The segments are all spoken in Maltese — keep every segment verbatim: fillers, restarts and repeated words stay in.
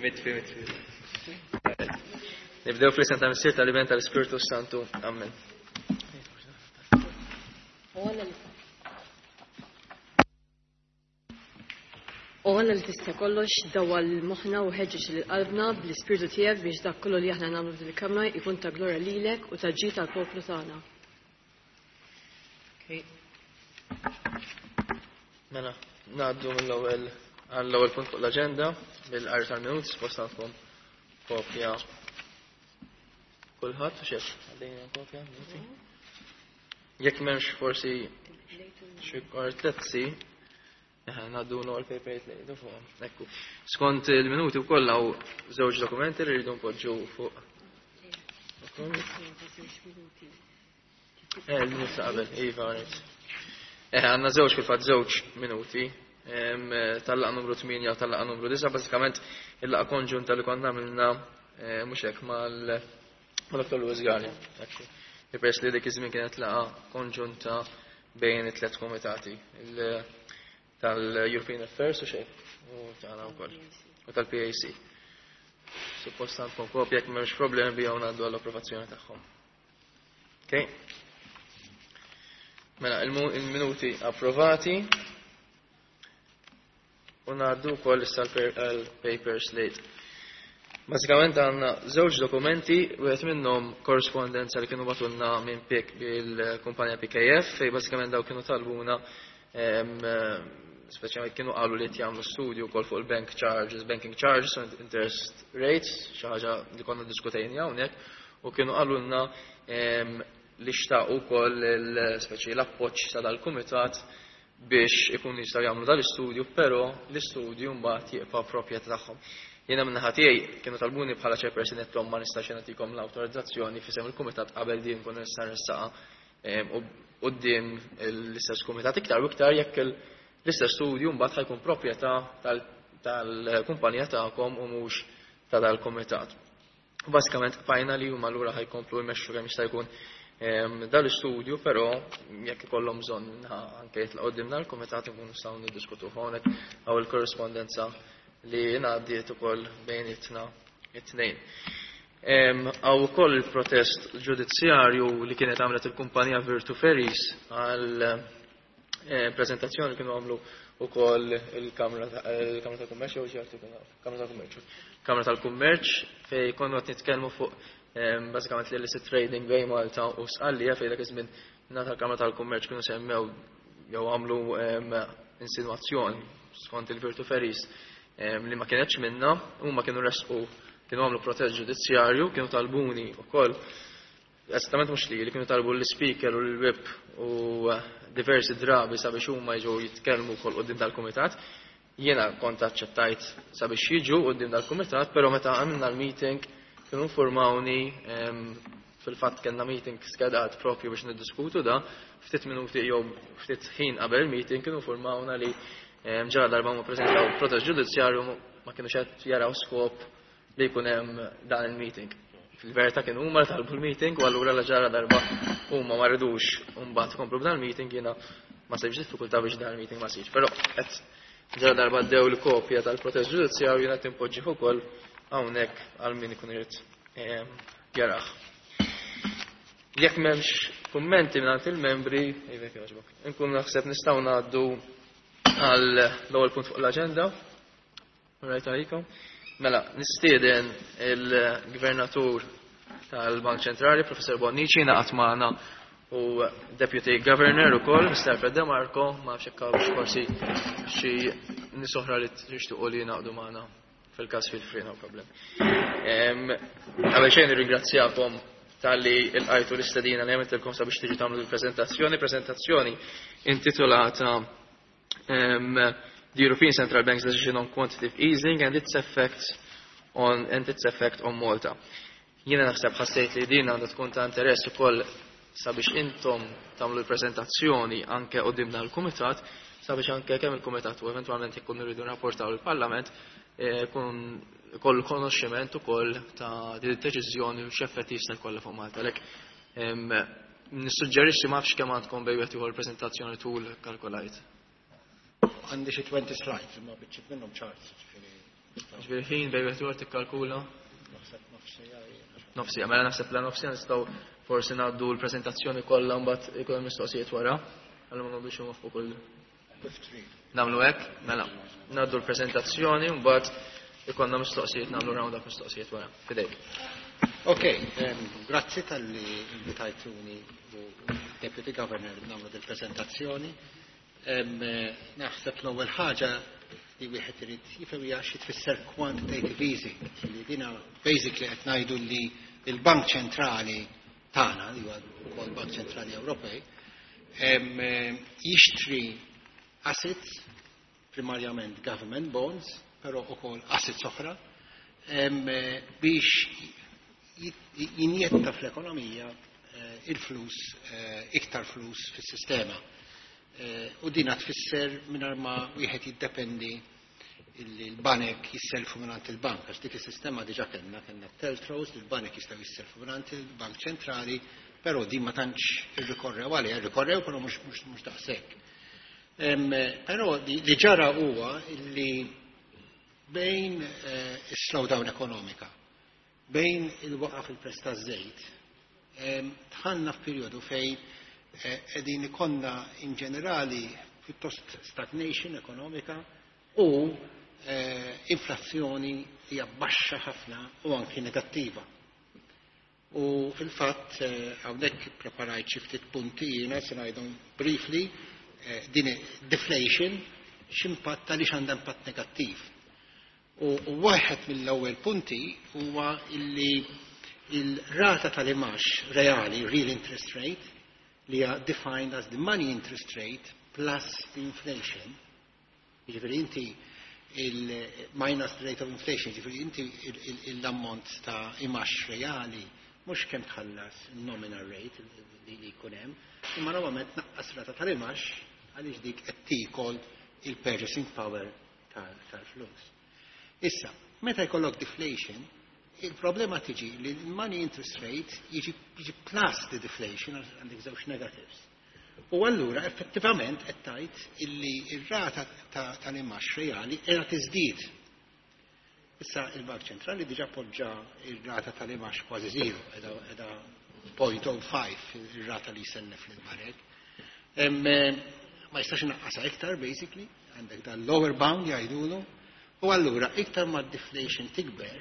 Mitfi, mitfi. Nibdew fl-isem tal-Missier, tal-Iben, tal-Ispirtu Santu. Amen. O Alla li tista' kollox, dawwal moħħna u ħeġġeġ lil qalbna bl-Ispirtu tiegħek biex dak kollu li aħna nagħmlu f'din il-kamra jkun ta' glorja lilek u ta' ġid tal-poplu tagħna. Okay. Mela, ngħaddu mill-ewwel għall-ewwel punt fuq l-aġenda bil-qari tal-minuti, suppost għandkom kopja kulħadd u xejn. Għaddejna kopja minuti. Jekk m'hemmx forsi xi kwartezzi, ngħaddu l paper li fuqhom. Ekku. Skont il-minuti wkoll hawn żewġ dokumenti li rridu npoġġu fuq. Eh, il-minuti ta' qabel, iva, rajt. Eh, għandna żewġ fil-fatt żewġ minuti tal-laqgħa numru tmienja u tal-laqgħa numru disgħa, bażikament il-laqgħa konġunta li konna għamilna mhux hekk mal-Dottor Louis Galea. Ekku. Peress li dik iż-żmien kienet laqgħa konġunta bejn it-tliet komitati, tal-European Affairs u xejn, u tagħna wkoll, u tal-P A C. Suppost għandkom kopja, jekk m'hemmx problemi bihom ngħaddu għall-approvazzjoni tagħhom. Okay. Mela, il-minuti approvati. U ngħaddu wkoll issa l-paper slate. Bażikament għandna żewġ dokumenti, wieħed minnhom korrespondenza li kienu bagħtulna minn P I C bil-kumpanija P K F, fejn bażikament daw kienu talbuna, speċjalment kienu qalu li qed jagħmlu studju wkoll fuq il-bank charges, banking charges, interest rates, xi ħaġa li konna ddiskutejna hawnhekk, u kienu qalulna li xtaqu wkoll speċi l-appoġġ ta' dal-kumitat biex ikunu jistgħu jagħmlu dal-istudju, però l-istudju mbagħad jibqa' proprjetà tagħhom. Jiena min-naħa tiegħi kienu talbuni bħala chairperson qed ma nistax nagħtikom l-awtorizzazzjoni f'isem il-kumitat qabel din nkun nista' nressaqha quddiem l-istess kumitat iktar u iktar jekk l-istess studju mbagħad ħajkun proprjetà tal-kumpanija tagħkom u mhux ta' dal-kumitat. U bażikament bqajna li huma allura ħajkomplu jmexxu kemm jista' jkun dal-istudju, però jekk ikollhom bżonn anke jitlaqgħu quddiem dal-kumitat inkunu nistgħu niddiskutu hawnhekk hawn il-korrespondenza li ngħaddiet ukoll bejnietna it-tnejn. Hawn ukoll il-protest ġudizzjarju li kienet għamlet il-kumpanija Virtu Ferries għal prezentazzjoni li kienu għamlu ukoll il-Kamra tal-Kummerċ, jew xi artikolu, Kamra tal-Kummerċ. Kamra tal-Kummerċ fejn konna qed nitkellmu fuq bażikament l-illicit trading bejn Malta u Sqallija, fejn dak iż-żmien ngħata l-Kamra tal-Kummerċ kienu semmew jew għamlu insinwazzjoni skont il-Virtu Ferries li ma kienetx minna, huma kienu resqu, kienu għamlu protest ġudizzjarju, kienu talbuni wkoll, esattament mhux li, li kienu talbu l-speaker u l-whip u diversi drabi sabiex huma jiġu jitkellmu wkoll quddiem dal-kumitat. Jiena kont aċċettajt sabiex jiġu quddiem dal-kumitat, però meta għamilna l-meeting kienu informawni, fil-fatt kellna meeting skedat propju biex niddiskutu da, ftit minuti jew ftit ħin qabel il-meeting kienu informawna li ġara darba ma preżentaw protest ġudizzjarju ma kienu qed jaraw skop li jkun hemm dan il-meeting. Fil-verità kienu huma li talbu l-meeting u allura la ġara darba huma ma ridux u mbagħad komplu b'dan il-meeting, jiena ma sibx diffikultà biex dan il-meeting ma sirx. Però qed ġara darba ddew l-kopja tal-protest ġudizzjarju jiena qed inpoġġih ukoll hawnhekk għal min ikun irid jarah. Jekk m'hemmx kummenti mingħand il-membri, iva jogħġbok, inkun naħseb nistgħu ngħaddu għal l-ewwel punt fuq l-aġenda. Rajt għalikom. Mela, nistieden il-Gvernatur tal-Bank Ċentrali, Professor Bonnici, naqat magħna u Deputy Governor ukoll, Mister Alfred De Marco, ma nafx hekk hawnx forsi xi nies oħra li tixtiequ li jingħaqdu magħna fil-każ fil-free, no problem. Qabel xejn nirringrazzjakom talli lqajtu l-istedina li għamiltilkom sabiex tiġu tagħmlu l-preżentazzjoni, preżentazzjoni intitolata em, The European Central Bank's Decision on Quantitative Easing and its Effects on, and its Effect on Malta. Jiena naħseb ħassejt li din għandha tkun ta' interess ukoll sabiex intom tagħmlu l-preżentazzjoni anke quddiem l-Kumitat, sabiex anke kemm il-Kumitat u eventwalment jekk irridu nrapportaw il-Parlament, eh, kun kollu konoxximent ukoll ta' din id-deċiżjoni u x'effett jista' jkollha fuq Malta. Għalhekk, em, nissuġġerixxi ma nafx kemm għandkom bejn wieħed ieħor preżentazzjoni tul kalkulajt. Għandi xi twenty slides, imma biċċiet minnhom charts, ġifieri. Ġifieri ħin bejn wieħed ieħor tikkalkula? Naħseb nofs siegħa jiena. Nofs siegħa, mela naħseb la nofs siegħa nistgħu forsi ngħaddu l-preżentazzjoni kollha, mbagħad ikun hemm mistoqsijiet wara. Allura ma nagħmlux fuq kull Kif trid. Nagħmlu hekk, mela. Ngħaddu l-preżentazzjoni u mbagħad ikollna mistoqsijiet, nagħmlu round up mistoqsijiet wara. Fidejk. Ok, um, grazzi talli invitajtuni u Deputy Governor nagħmlu dil-prezentazzjoni. Um, naħseb l-ewwel ħaġa li wieħed irid jifhem hija xi tfisser quantitative easing, li dina basically qed ngħidu li l-Bank Ċentrali tagħna, li huwa wkoll Bank Ċentrali Ewropej, em, eh, jixtri assets, primarjament government bonds, però ukoll assets oħra, em, eh, biex jinjetta fl-ekonomija eh, il-flus, eh, iktar flus fis-sistema. Eh, u dina tfisser mingħajr ma wieħed jiddependi illi l-banek jisselfu mingħand il-bank, għax dik is-sistema diġà kellna, kellna TLTROs li l-banek jistgħu jisselfu mingħand il-Bank Ċentrali, però din ma tantx irrikorrew għaliha, irrikorrew però mhux mhux mhux daqshekk. Em, Però li li ġara huwa illi bejn eh, is-slowdown ekonomika, bejn il-waqa fil-prezz taż-żejt, em, dħalna f'perjodu fejn eh, qegħdin ikollna in ġenerali pjuttost stagnation ekonomika u eh, inflazzjoni hija baxxa ħafna u anki negattiva. U fil-fatt eh, hawnhekk preparajt xi ftit punti jiena se ngħidhom briefly, eh, din deflation x'impatt, għaliex għandha impatt negattiv. U u waħed mill-ewwel punti huwa illi il-rata tal-imgħax reali, real interest rate, li hija defined as the money interest rate plus the inflation. Jiġifieri inti il-minus the rate of inflation, jiġifieri inti l-ammont ta' imgħax reali mhux kemm tħallas nominal rate li li jkun hemm, imma normalment naqqas rata tal-imgħax għaliex dik qed tiekol il-purchasing power tal-flus. Issa, meta jkollok deflation, il-problema tiġi li l-money interest rate jiġi, jiġi plus the deflation, għandek żewġ negatives. U allura effettivament qed tgħid illi ir-rata tal-imgħax reali qiegħda tiżdied. Issa il-Bank Ċentrali diġà poġġa ir-rata tal-imgħax kważi zero, qiegħda zero punt zero ħamsa ir-rata li jsellef lill-banek. Ma jistax inaqqasha iktar basically, għandek dan lower bound jgħidulu, u allura iktar ma deflation tikber,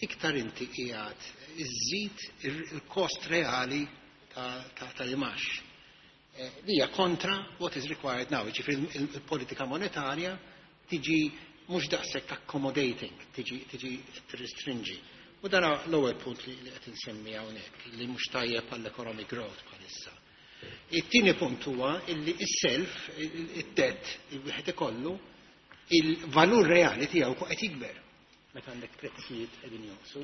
iktar inti qiegħed iżżid il-kost reali tal-imgħax. Eh, li hija kontra what is required now, ġifieri il-politika monetarja tiġi mhux daqshekk accommodating, tiġi tiġi restringi. U dan l-ewwel punt li qed insemmi hawnhekk, li mhux tajjeb għall-economic growth bħalissa. It-tieni punt huwa illi is-self, id-debt, il-wieħed ikollu, il-valur reali tiegħu qed jikber meta għandek prezzijiet qegħdin jonqsu.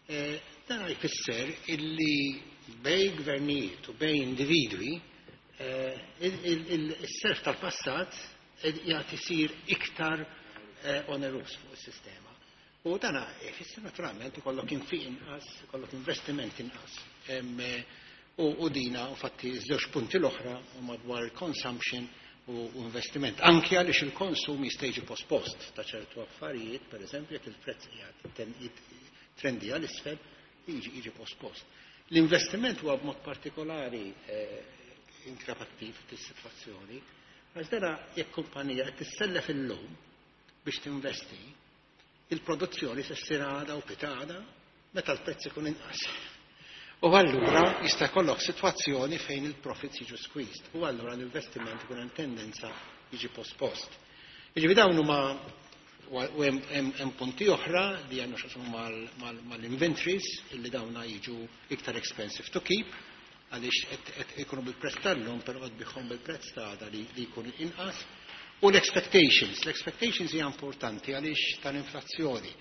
Eh, dan jfisser illi bejn gvernijiet u bejn individwi eh, il-self tal-passat jgħat isir iktar eh, onerus fuq is-sistema. U dana jfisser naturalment ikollok infiq inqas, ikollok investiment inqas. U dina, u fatti, żewġ punti l-oħra u madwar il-consumption u investiment. Anki għaliex il-konsum jista' jiġi pospost ta' ċertu affarijiet, per eżempju, jekk il-prezz trendi għal isfel, jiġi jiġi pospost. L-investiment huwa b'mod partikolari eh, inkrapattiv fis-sitwazzjoni, għax dara jekk kumpanija qed tissellef illum biex tinvesti, il-produzzjoni se ssir għada u pitgħada meta l-prezz ikun inqas. U allura jista' jkollok sitwazzjoni fejn il-profits jiġu squeezed. U allura l-investiment ikun hemm tendenza jiġi pospost. Jiġifieri dawn huma, u hemm punti oħra li għandna x'jaqsmu mal-inventories, illi dawna jiġu iktar expensive to keep għaliex qed ikunu bil-prezz tal-lum però qed tbigħhom bil-prezz ta' għada li jkun inqas. U l-expectations, l-expectations hija importanti għaliex tal-inflazzjoni.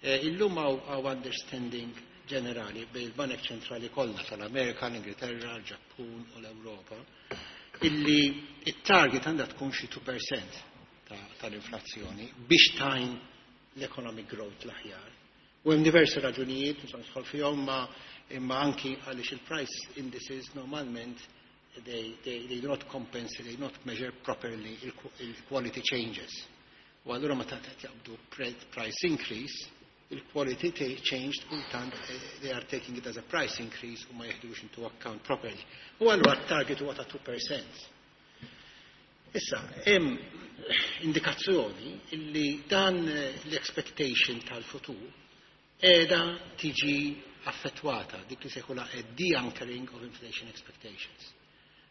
Eh, illum hawn understanding ġenerali bejn il-Banek Ċentrali kollha tal-Amerika, l-Ingilterra, l-Ġappun u l-Ewropa illi it-target għandha tkun xi two percent tal-inflazzjoni biex tgħin l-economic growth l-aħjar. U hemm diversi raġunijiet, mhux nidħol fihom, ma imma anki għaliex il-price indices normalment they, they, they do not compensate, they do not measure properly il-quality changes. U allura meta qed jaqbdu price increase, il-quality changed kultant they are taking it as a price increase u ma jeħdux into account properly. U allura target huwa ta' two percent. Issa, hemm indikazzjoni illi dan l-expectation tal-futur qiegħda tiġi affettwata, dik li sejħula a de-anchoring of inflation expectations.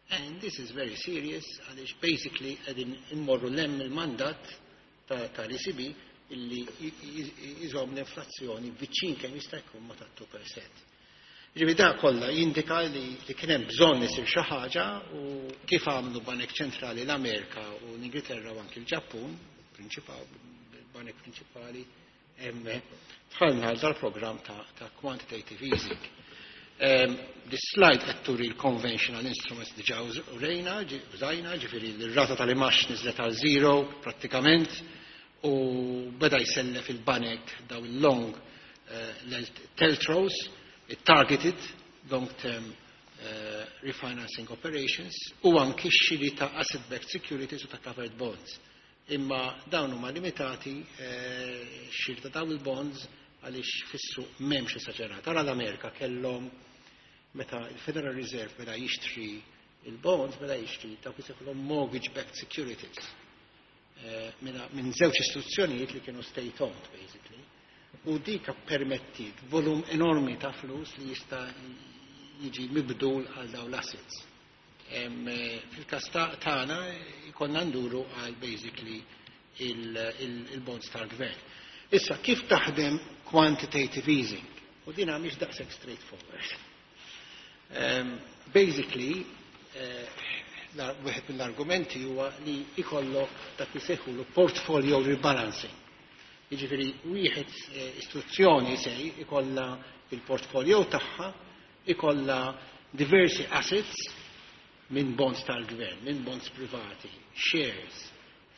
And this is very serious għaliex basically qegħdin immorru 'l hemm il-mandat tal-E C B illi jżomm l-inflazzjoni viċin kemm jista' jkun ma ta' two percent. Ġifieri da kollha jindika li, li kien hemm bżonn isir xi ħaġa u kif għamlu Banek Ċentrali l-Amerika u l-Ingilterra u anki l-Ġappun, banek prinċipali, hemm dħalna għal dal-programm ta', ta' quantitative easing. Um, this slide qed turi l-conventional instruments diġà urejna, użajna, ġifieri l-rata tal-imgħax niżlet għal zero prattikament u beda jsellef il-banek daw il-long uh, T L T R Os, targeted long-term uh, refinancing operations u anki xiri ta' asset-backed securities u ta' covered bonds. Imma dawn huma limitati uh, xiri ta' dawn il-bonds għaliex fis-suq m'hemmx esaġerat. Ara l-Amerika kellhom meta il-Federal Reserve beda jixtri il-bonds, beda jixtri dawk jisejħulhom mortgage-backed securities. Uh, minn żewġ istituzzjonijiet li kienu state-owned, basically. U dik permettit volum enormi ta' flus li jista' jiġi mibdul għal daw l-assets. Fil-kas tagħna jkollna nduru għal basically il-bonds tal-gvern. Issa, kif taħdem quantitative easing? U dina mhix daqshekk straightforward. Um, basically, uh, wieħed mill-argumenti huwa li ikollok dak li sejħulu portfolio rebalancing. Jiġifieri wieħed istituzzjoni se ikolla il-portfolio tagħha, ikolla diversi assets minn bonds tal-gvern, minn bonds privati, shares,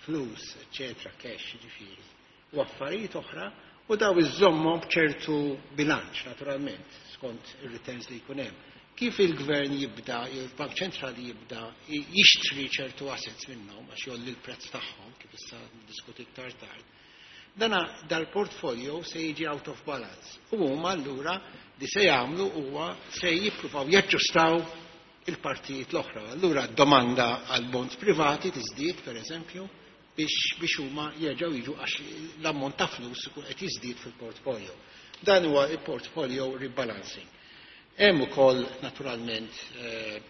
flus, eccetera, cash, jiġifieri, u affarijiet oħra, u daw iżommhom b'ċertu bilanċ, naturalment, skont ir-returns li jkun hemm. Kif il-gvern jibda, il-Bank Ċentrali jibda jixtri ċertu assets minnhom għax jgħolli l-prezz tagħhom, kif issa diskuti iktar tard, dana dal-portfolio se jiġi out of balance. U huma allura li se jagħmlu huwa se jippruvaw jaġġustaw il-partijiet l-oħra. Allura domanda għal bonds privati tiżdied, per eżempju, biex biex huma jerġgħu jiġu għax l-ammont ta' flus ikun qed jiżdied fil-portfolio. Dan huwa il-portfolio rebalancing. Hemm ukoll naturalment eh,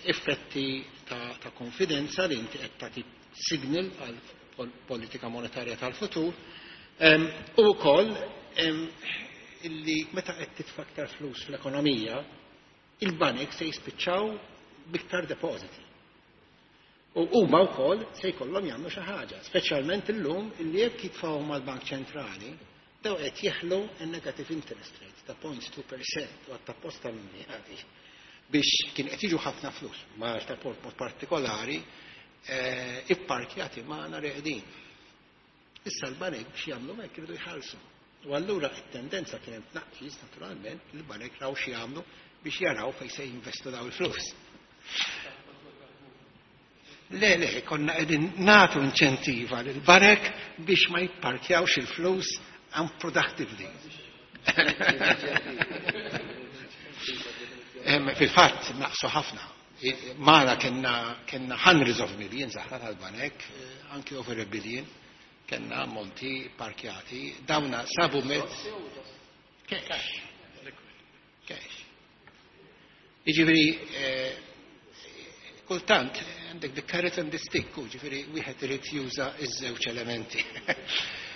effetti ta', ta' konfidenza li inti qed tagħti signal għal politika monetarja tal-futur u wkoll illi meta qed titfa' aktar flus fl-ekonomija, il-banek se jispiċċaw biktar depositi. U huma wkoll se jkollhom jagħmlu xi ħaġa, speċjalment illum illi jekk jitfgħu mal-Bank Ċentrali, daw qed jeħlu negative interest rate ta' zero point two percent u għatta posta minni għadi biex kien qed jiġu ħafna flus, Malta port mod partikolari, eh, ipparkjati magħna reqdin. Issa l-banek biex jagħmlu hekk iridu jħallsu. U allura t-tendenza kien hemm tnaqqis naturalment, il-banek raw xi jagħmlu biex jaraw fejn se jinvestu daw il-flus. Le, le, konna qegħdin nagħtu inċentiva lil banek biex ma jipparkjawx il-flus unproductively. Fil-fatt, naqsu ħafna. Mara kellna kellna hundreds of millions aħna tal-banek, eh, anki over a billion, kellna ammonti parkjati, dawna sabu mezz. Cash. Cash. Jiġifieri, eh, kultant, għandek the carrot and the stick, u ġifieri, wieħed irid juża iż-żewġ elementi.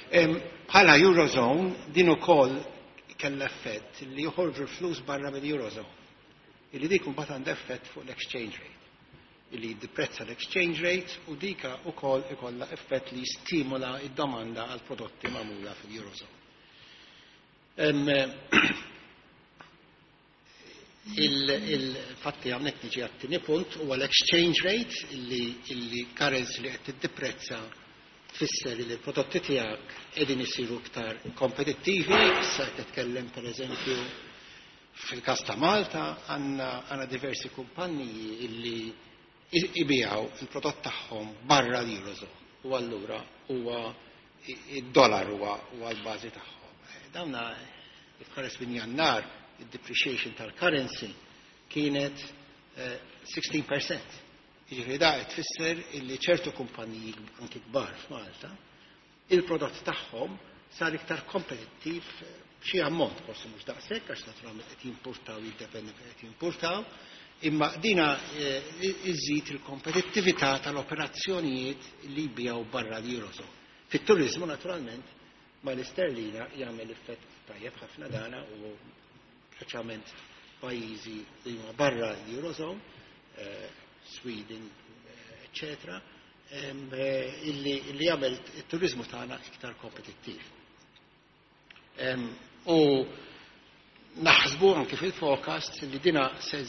Bħala Eurozone, din ukoll kellha effett li joħorġu l-flus barra mill-Eurozone. Illi dik mbagħad għandha effett fuq l-exchange rate. Illi jiddeprezza l-exchange rate u dika ukoll ikollha effett li jistimola id-domanda għal prodotti magħmula fil-Eurozone. Il-fatti hawnhekk niġi għat-tieni punt huwa l-exchange rate illi, illi currency li qed tiddeprezza tfisser li l-prodotti tiegħek qegħdin isiru iktar kompetittivi. Issa qed titkellem, pereżempju, fil-każ ta' Malta għandna għandna diversi kumpanniji illi ibijaw il-prodott tagħhom barra l-Eurozone. U allura huwa id-dollar huwa l-bażi tagħhom. Dawna tħares minn Jannar id-depreciation tal-currency kienet sittax fil-mija. Jiġifieri da tfisser illi ċertu kumpaniji anki kbar f'Malta il-prodott tagħhom sar iktar kompetittiv xi ammont, forsi mhux daqshekk għax naturalment qed jimpurtaw, jiddependi fejn qed jimpurtaw, imma dina iżid il-kompetittività tal-operazzjonijiet li jbijaw barra l-Eurozone. Fit-turizmu naturalment ma l-isterlina jagħmel effett tajjeb ħafna dana u speċjalment pajjiżi li huma barra l-Eurozone, Sweden, eccetera, illi jagħmel it-turizmu tagħna iktar kompetittiv. U naħsbu anke fil-forecast li dina se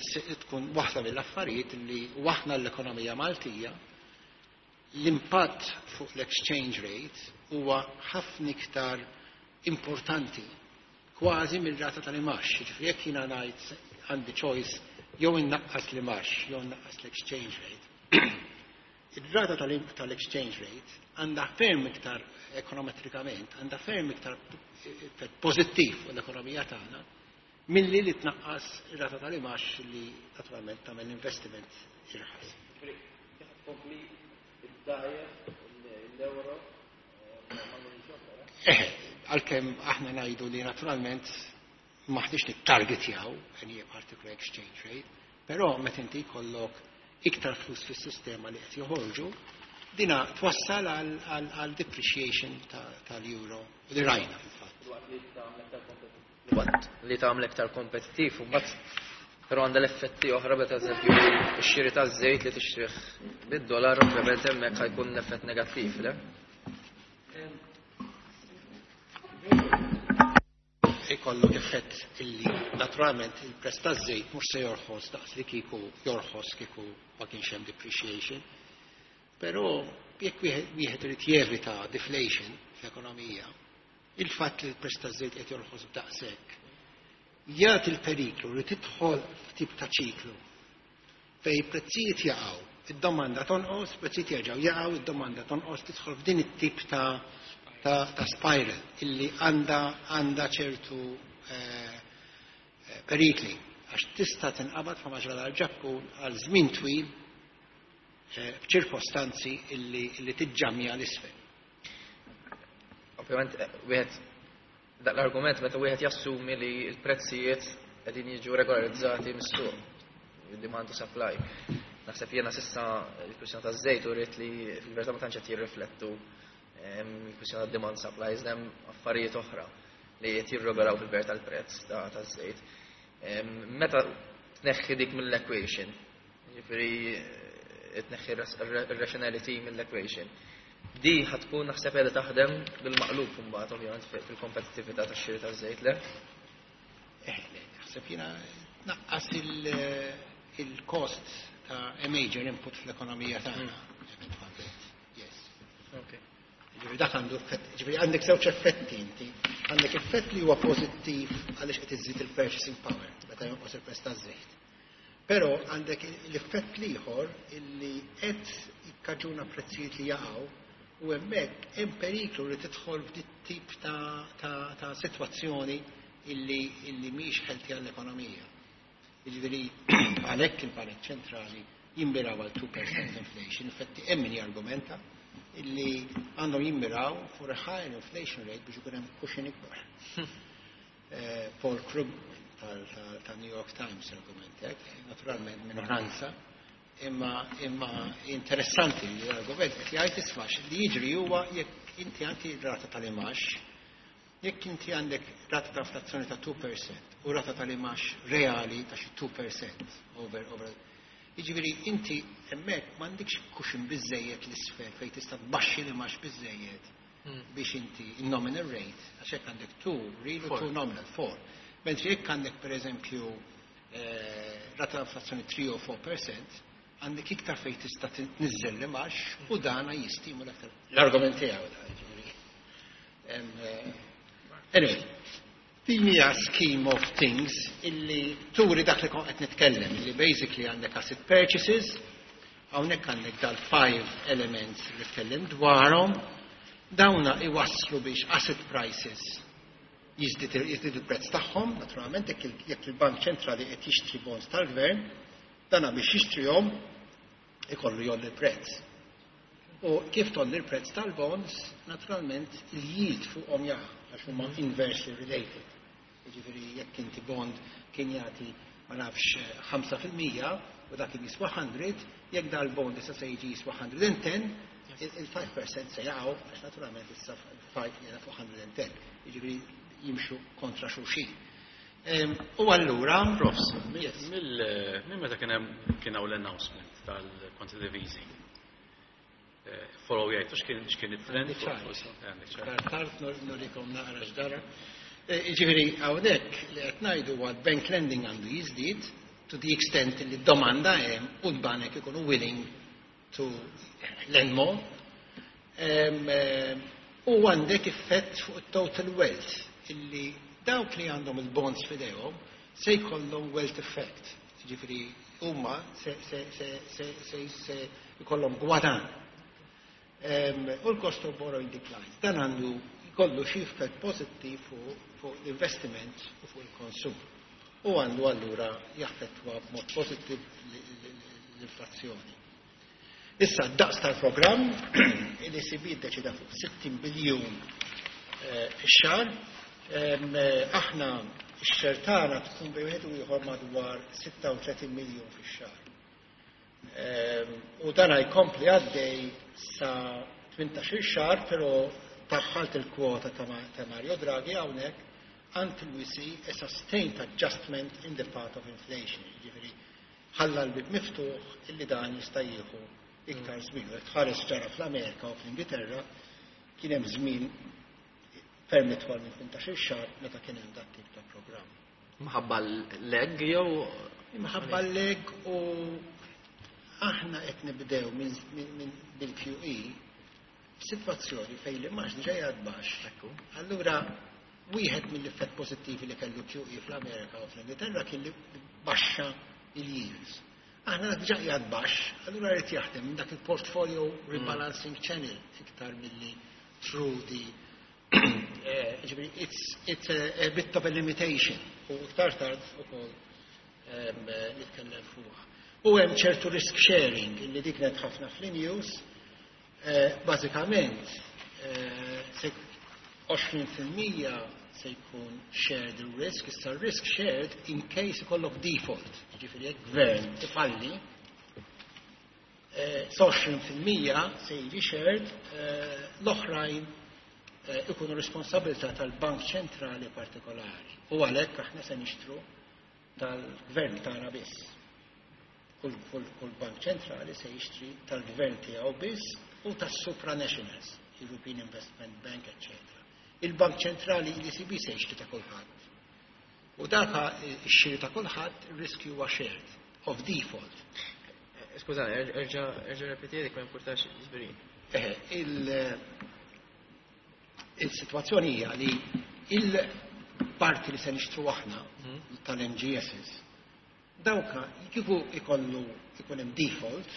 tkun waħda mill-affarijiet li waħna l-ekonomija Maltija l-impatt fuq l-exchange rate huwa ħafna iktar importanti kważi mill-rata tal-imgħax. Ġifieri jekk jiena ngħid għandi choice jew innaqqas l-imgħax jew innaqqas l-exchange rate. Il-rata tal-exchange rate għandha ferm iktar ekonometrikament, għandha ferm iktar effett pożittiv fuq l-ekonomija tagħna milli li tnaqqas ir-rata tal-imgħax li naturalment tagħmel investiment irħas. Tkompli id-dajjef l-euro? Eħe, għalkemm aħna ngħidu li naturalment maħniex nittargetjaw any particular exchange rate, però meta inti jkollok iktar flus fis-sistema li qed joħorġu, dina twassal għal depreciation tal-euro li rajna fil-fatt. Li tagħmel iktar kompetittiv u mbagħad però għandha l-effetti oħra, meta eżempju x-xiri taż-żejt li tixtrih bid-dollar, ovvjament hemmhekk ħa jkun effett negattiv, le? Ikollu effett illi naturalment il-prezz taż-żejt mhux se jorħos daqs li kieku jorħos kieku ma kienx hemm depreciation. Però jekk wieħed irid jevita deflation fl-ekonomija, il-fatt li l-prezz taż-żejt qed jorħos b'daqshekk jagħti l-periklu li tidħol f'tip ta' ċiklu fej prezzijiet jaqgħu, id-domanda tonqos, prezzijiet jerġgħu jaqgħu, id-domanda tonqos, tidħol f'din it-tip ta' ta', ta spiral illi għandha għandha ċertu eh, perikli għax tista' tinqabad fa' maġra dal-Ġappun għal żmien twil eh, f'ċirkostanzi illi, illi tiġġamja l-isfel. Ovvjament, eh, wieħed dak l-argument meta wieħed jassumi li l-prezzijiet qegħdin jiġu regolarizzati mis-suq, demand to supply. Naħseb jiena s'issa il-kwistjoni taż-żejt uriet li fil-verità ma tantx qed jirriflettu il-kwistjoni ta' demand supply, iżda hemm affarijiet oħra li qed jirregolaw fil-verità l-prezz taż-żejt. Meta tneħħi dik mill-equation, jiġifieri tneħħi ir-rationality mill-equation, di ħa tkun naħseb qiegħda taħdem bil-maqlub imbagħad ovvjament fil-kompetittività tax-xiri taż-żejt, le? Eh, naħseb jiena naqqas il-cost ta' a major input fl-ekonomija tagħna. Eventwalment. Yes. Okay. Ġifieri dak għandu effett, ġifieri għandek żewġ effetti inti. Għandek effett li huwa pożittiv għaliex qed iżid il-purchasing power meta jonqos il-prezz taż-żejt. Però għandek l-effett l-ieħor illi qed jikkaġuna prezzijiet li jaqgħu u hemmhekk hemm periklu li tidħol f'dit tip ta', ta, ta' sitwazzjoni illi, illi mhix healthy għall-ekonomija. Jiġifieri għalhekk il-Bank Ċentrali jimmiraw għal two percent inflation, infatti hemm min jargumenta illi għandhom jimmiraw for a higher inflation rate biex ikun hemm cushion ikbar. Eh, Paul Krugman tal-New York Times argument hekk, naturalment minoranza, imma imma interessanti li l-argument qed jgħid, isma', li jiġri huwa jekk inti għandi rata tal-imgħax, jekk inti għandek rata ta' inflazzjoni ta' two percent u rata tal-imgħax reali ta' xi two percent over over Jiġifieri inti hemmhekk m'għandekx cushion biżejjed l-isfel fejn tista' tbaxxi l-imgħax biżejjed biex inti il-nominal rate, għax hekk għandek two real u two nominal, four. Mentri jekk għandek per eżempju eh, rata ta' inflazzjoni three or four percent, għandek iktar fejn tista' tniżżel l-imgħax u dana jistimula aktar. L-argument tiegħu da, jiġifieri. Em, eh, Anyway, din hija scheme of things illi turi dak li kont qed nitkellem, illi basically għandek asset purchases, hawnhekk għandek dal-five elements li tkellim dwarhom. Dawna iwasslu biex asset prices jiżdied jiżdied il-prezz tagħhom, naturalment jekk il- jekk il-Bank Ċentrali qed jixtri bonds tal-gvern, dana biex jixtrihom ikollu jgħolli l-prezz. U kif tgħolli l-prezz tal-bonds, naturalment il-yield fuqhom jaqa' għax huma inversely related. Jiġifieri jekk inti bond kien jagħti, ma nafx, ħamsa fil-mija u dak kien jiswa mija, jekk dal-bond issa se jiġi jiswa mija u għaxra, il-ħamsa fil-mija se jaqgħu għax naturalment issa ħamsa qiegħda fuq mija u għaxra. Jiġifieri jimxu kontra xulxin. Em, U allura Profs, Yes. mill minn meta kien hemm kien hawn l-announcement tal-quantitative easing. Eh, Follow jgħid x'kien x'kien it-trend? Għandi ċar. Għandek ċar. Iktar tard nur- nurikom naqra x'ġara. Ġifieri hawnhekk li qed ngħidu huwa bank lending għandu jiżdied to the extent li d-domanda hemm u l-banek ikunu willing to lend more. Em, em, U għandek effett fuq total wealth illi dawk li għandhom il-bonds f'idejhom se jkollhom wealth effect. Ġifieri huma se se se se se se jkollhom gwadan. Em, U l-cost of borrowing declines. Dan għandu jkollu xi effett pożittiv fuq fuq l-investiment u fuq il-konsum. U għandu allura jaffettwa b'mod pożittiv l-inflazzjoni. Issa, daqs tal-programm, l-E C B deċida fuq sittin biljun eh, fix-xahar. Em, eh, Aħna x-share tagħna tkun bejn wieħed u ieħor madwar sitta u tletin miljun fix-xahar. Em, U dan jkompli għaddej sa tmintax-il xahar, però daħħalt il-kwota ta' Ma- ta' Mario Draghi hawnhekk, "until we see a sustained adjustment in the path of inflation." Ġifieri ħalla l-bib miftuħ illi dan jista' jieħu iktar żmien. U tħares ġara fl-Amerika u fl-Ingilterra, kien hemm żmien ferm itwal minn tmintax-il xahar meta kien hemm dat tip ta' programm. Minħabba l-lag jew? Minħabba l-lag, u aħna qed nibdew minn min, min bil-Q E f'sitwazzjoni fejn li mhux ġejja baxx. Ekku. Allura wieħed mill-effett pożittivi li kellu Q E fl-Amerika u fl-Ingilterra kien li baxxa il-yields. Aħna diġà qiegħed baxx, allura rrid jaħdem minn dak il-portfolio rebalancing channel iktar milli through the eh, ġifieri it's, it's a, a bit of a limitation u iktar tard ukoll em, eh, nitkellem fuqha. U hemm ċertu risk sharing illi dik kienet ħafna fl-news. eh, Bażikament eh, se għoxrin fil-mija se jkun shared risk, issa risk shared in case ikollok default, ġifieri jekk gvern ifalli, eh, għoxrin fil-mija se jiġi shared, eh, l-oħrajn eh, ikunu responsabilità tal-Bank Ċentrali partikolari. U għalhekk aħna se nixtru tal-gvern tagħna biss. Kull, kull, kull bank ċentrali se jixtri tal-gvern tiegħu biss u tas-supranationals, European Investment Bank, eccetera. Il-Bank Ċentrali, l-E C B, se jixtri ta' kulħadd. U daka x-xiri ta' kulħadd, riskju huwa shared of default. Skużani, erġa' erġa' repeti dik, ma importax, ġifieri. Eh, il- Il-situazzjoni hija li il-parti li se nixtru aħna tal-M G Ss, dawka kieku ikollu ikun hemm default,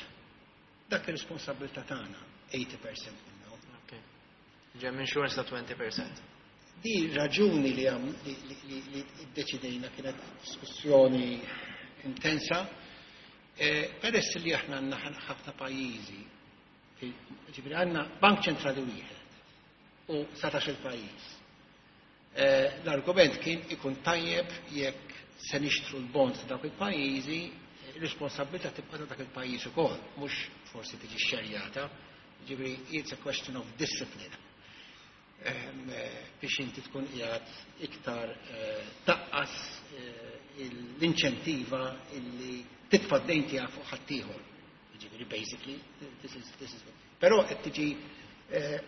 dak ir-responsabilità tagħna tmenin fil-mija minnhom. Ok. Hemm insurance ta' għoxrin fil-mija. Di raġuni li għam li, li, li, li iddeċidejna, kienet diskussjoni intensa, eh, peress li aħna għandna ħafna pajjiżi, ġifieri għandna bank ċentrali wieħed u dsatax il-pajjiż. Eh, L-argument kien ikun tajjeb jekk se nixtru l-bonds ta' dawk il-pajjiżi, responsabilità tibqa' ta' dak il-pajjiż ukoll, mhux forsi tiġi xerjata. Ġifieri it's a question of discipline. Ehm, eh, biex inti tkun qiegħed iktar eh, taqqas eh, l-inċentiva illi titfa' d-dejn tiegħek fuq ħaddieħor. Ġifieri basically this is this is Però qed tiġi eh,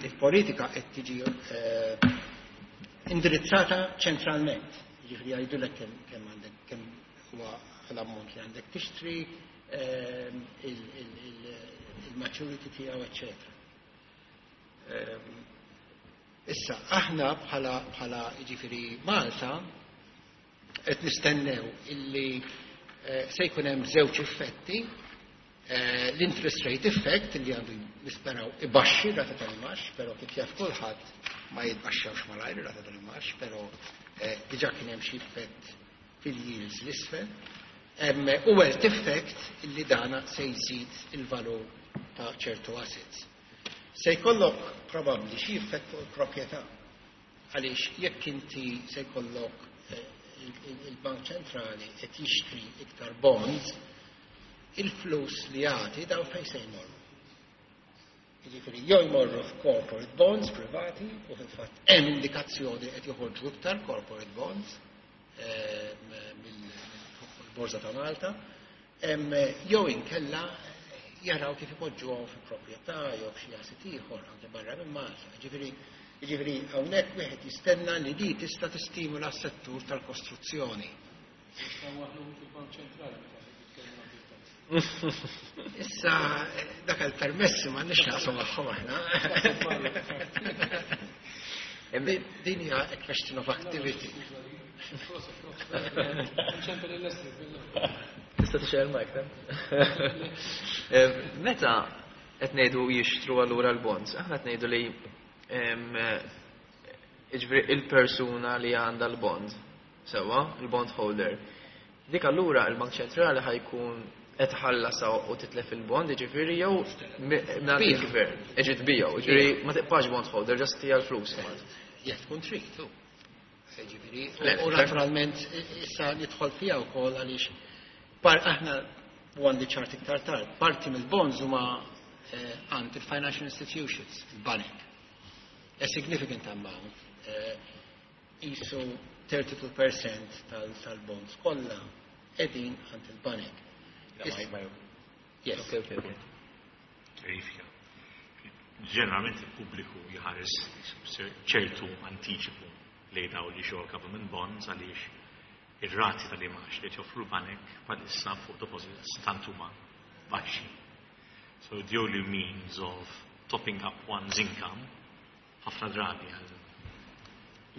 il-politika qed tiġi eh, indirizzata ċentralment. Ġifieri jgħidulek kemm kemm għandek, kemm huwa l-ammont li għandek tixtri, ehm, il- il- il- il-maturity tiegħu, eċċetera. Ehm, Issa, aħna bħala bħala ġifieri Malta qed nistennew illi eh, se jkun hemm żewġ effetti. Eh, L-interest rate effect li għandu nisperaw ibaxxi rata tal-imgħax, però kif jaf kulħadd ma jitbaxxewx malajr rata tal-imgħax, però eh, diġà kien hemm xi effett fil-yields l-isfel. U wealth effect illi dana se jżid il-valur ta' ċertu assets. Se jkollok probabbli xi effett fuq il-proprjetà. Għaliex jekk inti se jkollok eh, il-Bank Ċentrali qed jixtri iktar bonds, il-flus li jagħti daw fejn se jmorru. Jiġifieri jew jmorru f'corporate bonds privati u fil-fatt hemm indikazzjoni qed joħorġu iktar corporate bonds eh, mill-Borża ta' Malta, jew inkella jaraw kif ipoġġuhom fi proprjetà jew f'xi asset ieħor anke barra minn Malta. Ġifieri jiġifieri hawnhekk wieħed jistenna li di tista' tistimula s-settur tal-kostruzzjoni. Fil-Bank Ċentrali meta Issa, dak il-permessi ma nix naqsu magħhom aħna. Din hija a question of activity. Tista' tixgħel mic, Meta qed ngħidu jixtru allura l-bonds, aħna qed ngħidu li jiġifieri il-persuna li għandha l-bond, sewwa, il-bond holder. Dik allura il-Bank Ċentrali ħa jkun qed ħallasa u titlef il-bond, jiġifieri jew mingħand il-gvern. Iġi tbiegħu, jiġifieri ma tibqax bond holder, just tija l-flus. Jekk tkun trid, tu. Jiġifieri, u naturalment issa nidħol fiha wkoll għaliex aħna u għandi ċart iktar tard, parti mill-bonds huma għand il-financial institutions, il-banek. A significant amount, isu thirty-two percent tal-bonds kollha qegħdin għand il-banek. Yes. Okay, okay, okay. Verifika. Ġeneralment il-pubbliku jħares ċertu antiċipu li daw li xogħol government bonds għaliex ir-rati tal-imgħax li joffru l-banek bħalissa fuq deposits tant huma baxxi. So the only means of topping up one's income ħafna drabi għal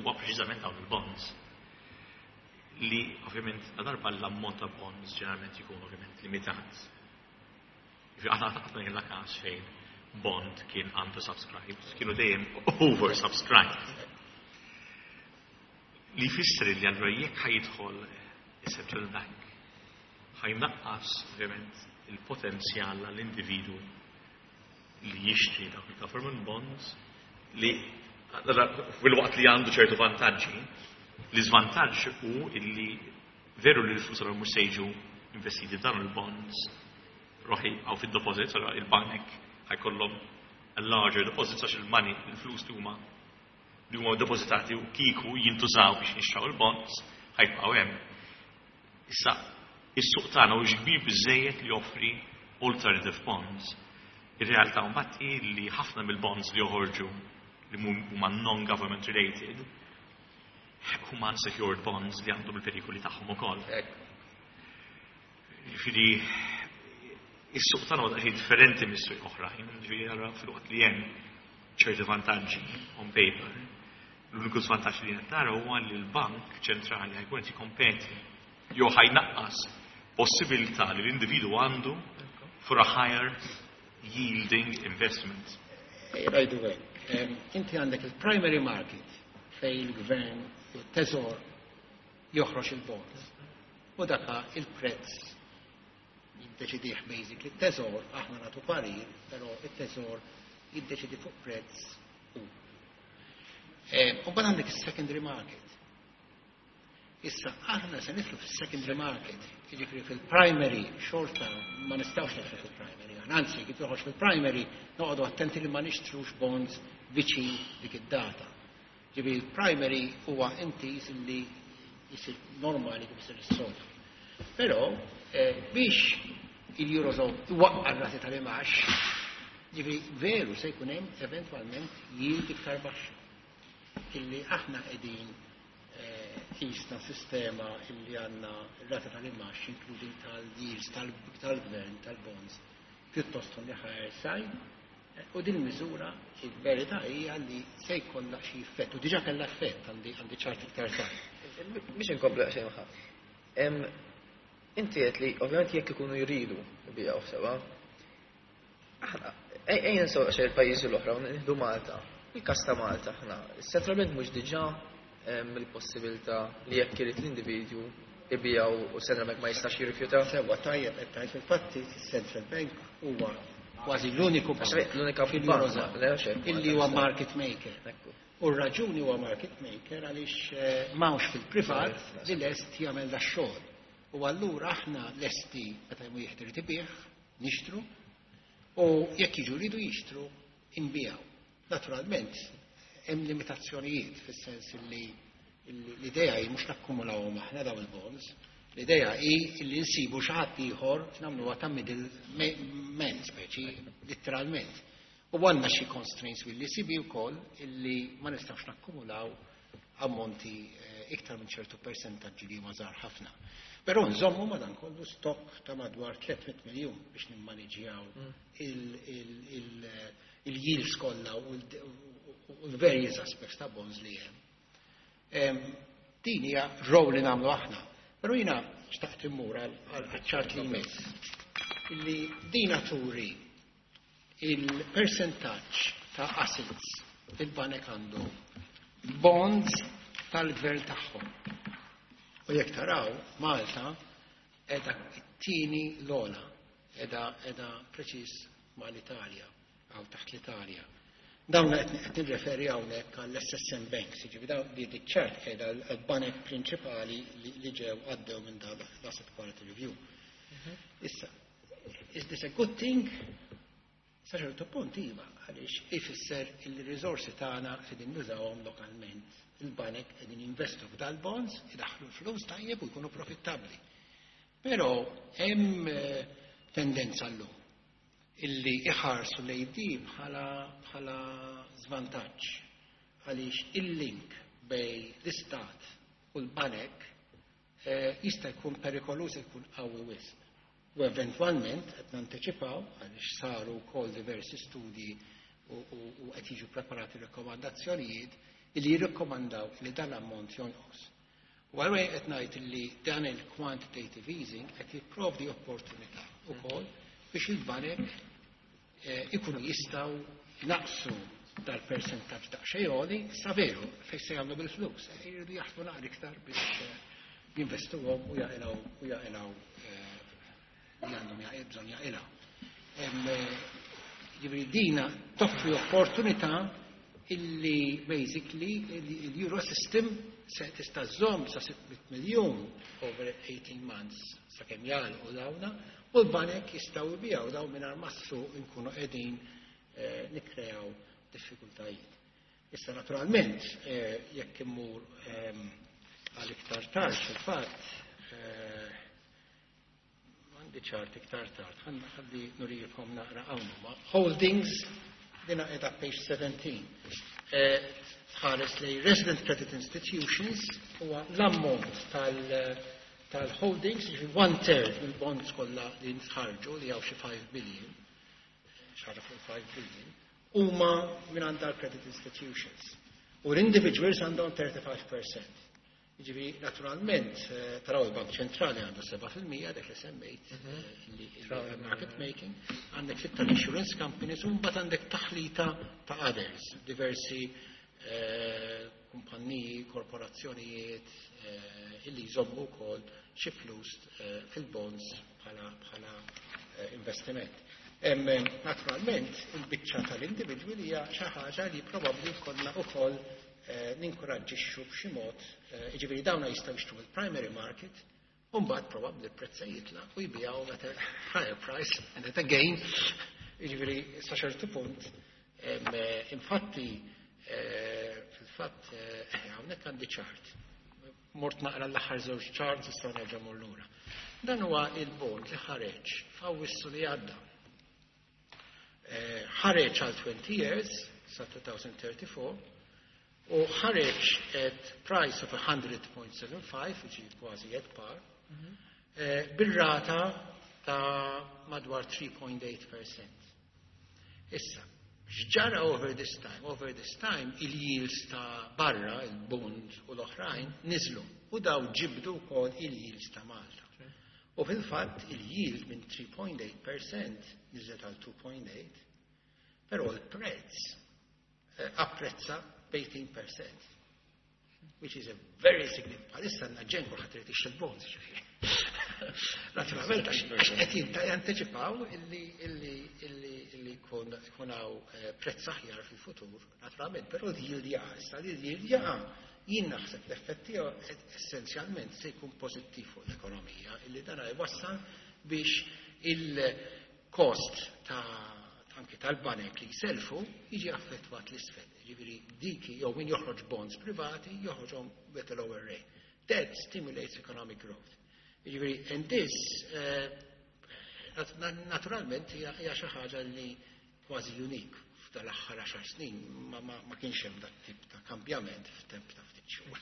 huwa preċiżament dawn il-bonds li ovvjament la darba l-ammont ta' bonds ġeneralment jkun ovvjament limitat. Aħna qatt ma kellna każ fejn bond kien undersubscribed, kienu dejjem oversubscribed. Li jfisser li allura jekk ħa jidħol il-Central Bank ħa jnaqqas ovvjament il-potenzjal għall-individu li jixtri dawk il-government bonds li fil-waqt li għandu ċertu vantaġġi, li żvantaġġ hu illi veru li l-flus allura mhux se jiġu investiti f'dan il-bonds ruħi għaw fil-deposits, allura il-banek ħa jkollhom a larger deposits għax il-money, il-flus li huma li huma depositati u kieku jintużaw biex nixtraw il-bonds ħa jibqgħu hemm. Issa, is-suq tagħna hux kbir biżejjed li joffri alternative bonds. Ir-realtà mbagħad hi li ħafna mill-bonds li joħorġu li huma non-government related huma unsecured bonds li għandhom il-perikoli tagħhom ukoll. Ġifieri is-suq tagħna huwa daqsxejn differenti mis-suq oħrajn, ġifieri allura filwaqt li hemm ċerti vantaġġi on paper, l-uniku żvantaġġ li qed nara huwa li l-Bank Ċentrali ħa jkun qed jikkompeti jew ħa jnaqqas possibilità li l-individu għandu for a higher yielding investment. Rajdu hekk. Inti għandek il-primary market fej il-gvern, il-teżor joħroġ il-bonds. U daka il-prezz jiddeċidih basically il-teżor, aħna nagħtu parir, però il-teżor jiddeċidi fuq prezz u. U mbagħad għandek il-secondary market. Issa, aħna se nidħlu fil-secondary market, jiġifieri fil-primary xorta ma nistgħux nidħlu fil-primary. Anzi, kif joħroġ fil-primary, noqogħdu attenti li ma nixtrux bonds viċin dik id-data. Ġifieri il-primary huwa intiż li jisir normali kif isir is-soltu. Però eh, biex il-Eurozone iwaqqa r-rati tal-imgħax, ġifieri veru se jkun hemm eventwalment yield iktar baxxa. Illi aħna qegħdin jisna sistema illi għandna rata tal-imgħax, including tal-yields, tal-gvern, tal-bonds, pjuttost on the higher side. U din miżura il-verità hija li se jkollha xi effett, u diġà kellha effett, għandi għandi ċart iktar tard. Biex inkomplu xejn. Inti qed li ovvjament jekk ikunu jridu jbigħu sewwa. Aħna ejja nsew xejn il-pajjiżi l-oħra u nieħdu Malta. Il-każ ta' Malta aħna, is-Central Bank mhux diġà hemm il-possibilità li jekk irid l-individwu ibigħu u Central Bank ma jistax jirrifjuta? Sewwa, tajjeb qed tgħid. Fil-fatti il-Central Bank huwa kważi l-uniku Għax bank l-unika fil-Eurozone bank, le, għax hekk, illi huwa market maker. Ekku. U r-raġuni huwa market maker għaliex eh, m'hawnx fil-privat li lest jagħmel da xogħol. U allura aħna lesti meta wieħed irid ibigħ, nixtru, u jekk jiġu jridu jixtru, inbiegħu. Naturalment, hemm limitazzjonijiet fis-sens li li l-idea hi mhux nakkumulawhom aħna dawn il-bonds, l-idea hi li nsibu xi ħadd ieħor nagħmluha ta' middle man speċi, letteralment. U għandna xi constraints mill-E C B wkoll illi ma nistgħux nakkumulaw ammonti eh, iktar minn ċertu persentaġġi li huma żgħar ħafna. Però nżommu madankollu stock ta' madwar tliet mitt miljun biex nimmaniġjaw il-yields kollha u l-various aspects ta' bonds li hemm. Em, Din hija role li nagħmlu aħna. Però jiena xtaqt immur għal ċart li jmiss. Illi dina turi il-percentaġġ ta' assets il-banek għandhom bonds tal-gvern tagħhom. U jekk taraw, Malta qiegħda t-tieni l-ogħla, qiegħda qiegħda preċis mal-Italja, għaw taħt l-Italja. Dawn qed qed nirreferi hawnhekk għall-S S M Banks, jiġifieri dawn li ċart qiegħda l-banek prinċipali li li ġew għaddew minn dan l-Asset Quality Review. Issa, is this a good thing? Sa ċertu punt iva, għaliex ifisser il-riżorsi tagħna qegħdin nużawhom lokalment. Il-banek qegħdin jinvestu f'dal-bonds, idaħlu l-flus tajjeb u jkunu profittabbli. Però hemm eh, tendenza llum illi iħarsu lejn di bħala bħala żvantaġġ għaliex il-link bejn l-istat u l-banek eh, jista' jkun perikoluż, jkun qawwi wisq. U eventwalment qed nanteċipaw, għaliex saru wkoll diversi studji u, u, u qed jiġu preparati rekomandazzjonijiet illi jirrikkomandaw li dan l-ammont jonqos. U għalhekk qed ngħid li dan il-quantitative easing qed jipprovdi opportunità wkoll biex il-banek eh, ikunu jistgħu naqsu dal-percentaġġ daqsxejn għoli, sa veru fejn se jagħmlu bil-flus. Eh, Jridu jaħdmu naqra iktar biex eh, jinvestuhom u jaqilgħu u jaqilgħu eh, li għandhom jaqil bżonn jaqilgħu. Em, eh, Jiġifieri dina toffri opportunità illi basically il-Euro system se tista' żżomm sa sitt mitt miljun over eighteen months sakemm jagħlqu dawna u l-banek jistgħu jbigħu daw mingħajr massu nkunu qegħdin eh, nikkreaw diffikultajiet. Issa naturalment eh, jekk immur ehm, għal iktar tard fil-fatt eh, għandi ċart iktar tard, ħalli nurijikom naqra hawn huma. Holdings, dina qiegħda page seventeen. Eh, Tħares li Resident Credit Institutions huwa l-ammont tal- tal-holdings, jiġifieri one third mill-bonds kollha li nħarġu li hawn xi five billion, xi fuq five billion, huma minn għand credit institutions. U l-individuals għandhom thirty-five percent. Jiġifieri, naturalment, eh, taraw il-Bank Ċentrali għandu seba' fil-mija, dak li semmejt, eh, li li market making, għandek sitta insurance companies, u mbagħad għandek taħlita ta' others, diversi eh, kumpanniji, korporazzjonijiet eh, illi jżommu wkoll xi flus eh, fil-bonds bħala bħala eh, investiment. Em, Naturalment, il-biċċa tal-individwi hija xi ħaġa li probabbli konna wkoll eh, ninkoraġġixxu b'xi mod, eh, jiġifieri dawna jistgħu jixtru il-primary market, u mbagħad probabbli l-prezz se jitla' u jbigħu at a higher price and at a gain. Jiġifieri sa ċertu punt, em, eh, infatti eh, fil-fatt eh, hawnhekk għandi ċart. Mort naqra l-aħħar żewġ charts, issa nerġa' mur lura. Dan huwa il-bond li ħareġ f'Awwissu li għadda. Eh, ħareġ għal twenty years sa twenty thirty-four u ħareġ at price of one hundred point seven five, ġi kważi at par, eh, bir-rata ta' madwar three point eight percent. Issa, x'ġara over this time? Over this time, il-yields ta' barra, il-bond u l-oħrajn, niżlu. U daw ġibdu wkoll il-yields ta' Malta. U fil-fatt il-yield minn tlieta punt tmienja fil-mija niżlet għal tnejn punt tmienja, però l-prezz eh, apprezza b'tmintax fil-mija, which is a very significant. Bħalissa għandna ġenn, kulħadd irid jixtri bonds, ġifieri. Naturalment, għax qed janteċipaw illi illi illi illi jkun jkun hawn eh, prezz aħjar fil-futur, naturalment, però l-yield jaqa', issa li l-yield jaqa', jien naħseb l-effett tiegħu essenzjalment se jkun pożittiv fuq l-ekonomija, illi dan jwassal biex il-kost ta' anke tal-banek li jselfu jiġi affettwat l-isfel. Ġifieri diki jew min joħroġ bonds privati joħroġhom with a lower rate. That stimulates economic growth. Ġifieri, and this uh, naturalment hija xi ħaġa li kważi unique f'dal-aħħar għaxar snin, ma, ma, ma kienx hemm dak tip ta' kambjament f'temp ta' ftit xhur.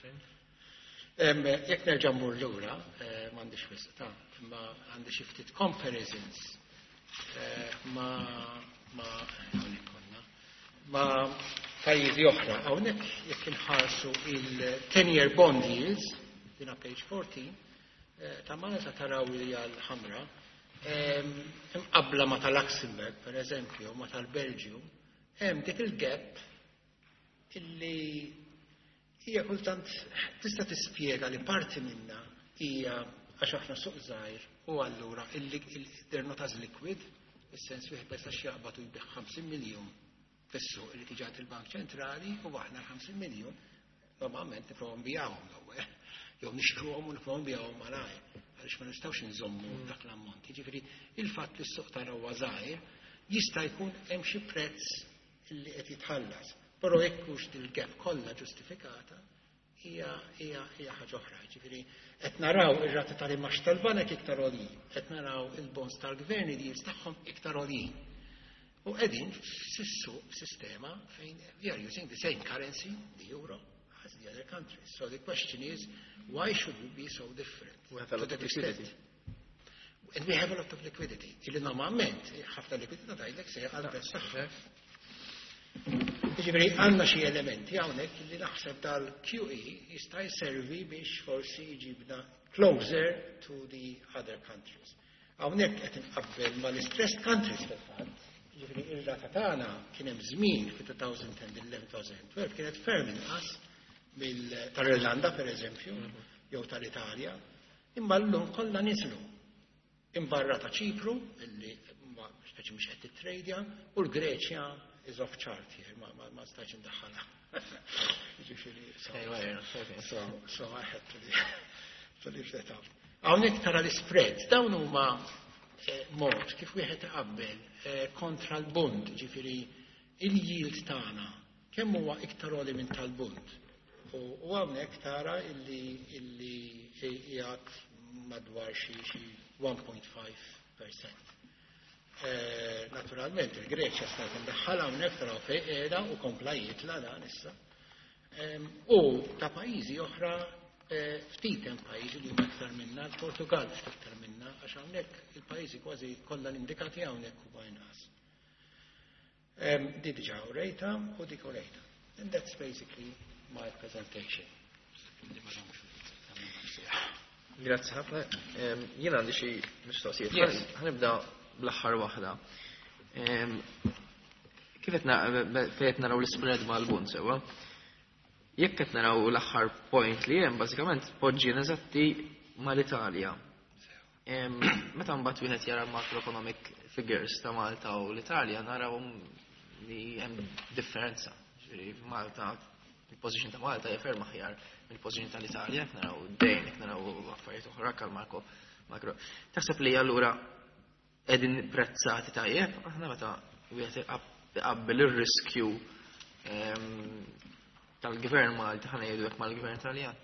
Jekk nerġa' mmur lura, eh, m'għandix wisq ta' imma għandi xi ftit comparisons eh, ma ma hawnhekk konna ma pajjiżi oħra. Hawnhekk jekk inħarsu il-ten-year bond yields, dina page fourteen, eh, ta' Malta, taraw li għal ħamra, imqabla ma tal-Luxembourg, per eżempju, ma tal-Belġju, hemm dik il-gap illi hija kultant tista' tispjega li parti minna hija għax aħna suq żgħir u allura they're not as liquid, is-sens wieħed ma jistax jaqbad u jbigħ ħamsin miljun fis-suq li tiġi il-Bank Ċentrali, u aħna ħamsin miljun normalment nipprovaw nbigħuhom l-ewwel jew nixtruhom u nipprovaw nbigħuhom malajr għaliex ma nistgħux nżommu dak l-ammont. Jiġifieri il-fatt li s-suq tagħna huwa żgħir jista' jkun hemm xi prezz li qed jitħallas. Però jekk hux dil-gap kollha ġustifikata hija hija hija ħaġa oħra. Ġifieri qed naraw ir-rati tal-imgħax tal-banek iktar għoljin, qed naraw il-bonds tal-gvern yields tagħhom iktar għoljin. U qegħdin f'sissu sistema fejn we are using the same currency, the euro, as the other countries. So the question is, why should we be so different? We have a lot to of that extent? liquidity. And we have a lot of liquidity. Illi normalment, ħafna likwidità tgħidlek se għal prezz tagħha. Ġifieri għandna xi elementi hawnhekk li naħseb dal-Q E jista' jservi biex forsi jġibna closer to the other countries. Hawnhekk qed inqabbel mal-stressed countries fil-fatt. Ġifieri ir-rata tagħna kien hemm żmien fi elfejn u għaxra elfejn u tnax kienet ferm inqas tal-Irlanda per eżempju, jew tal-Italja, imma llum kollha niżlu. Imbarra ta' Ċipru, illi ma speċi mhux qed titrejdja, u l-Greċja is off chart here, ma, ma, ma stajtx indaħħalha. Ġifieri, so, so, so I had to leave, to leave that out. Hawnhekk tara l-spreads, dawn huma eh, mod kif wieħed iqabbel eh, kontra l-bund, ġifieri il-yield tagħna kemm huwa iktar għoli minn tal-bund. U u hawnhekk tara illi illi qiegħed madwar xi xi wieħed punt ħamsa fil-mija. Eh, naturalment il-Greċja stajt indaħħalha hawnhekk, taraw fejn qiegħda u kompla jitla dan issa. Em, U ta' pajjiżi oħra, eh, ftit hemm pajjiżi li huma iktar minna, l-Portugal ftit iktar minna, għax hawnhekk il-pajjiżi kważi kollha l-indikati hawnhekk huma inqas. Em, Di diġà urejta u dik urejta. And that's basically my presentation. Li ma nagħmlux Grazzi ħafna. Em, Jien għandi xi mistoqsijiet. Yes. Ħa nibda bl-aħħar waħda. Em, Kif qed na- fejn qed naraw l-spread mal-bund sewwa? Jekk qed naraw l-aħħar point li hemm, bażikament poġġien eżatti mal-Italja. Em, Meta mbagħad wieħed jara macroeconomic figures ta' Malta u l-Italja, naraw li hemm differenza. Ġifieri Malta, il-position ta' Malta hija ferm aħjar mill-position tal-Italja, jekk naraw id-dejn, jekk naraw affarijiet oħra kal Marko makro. Taħseb li allura qegħdin prezzati tajjeb aħna meta wieħed iqabbel ir-riskju em, tal-gvern Malti, ħa ngħidu hekk, mal-gvern Taljan?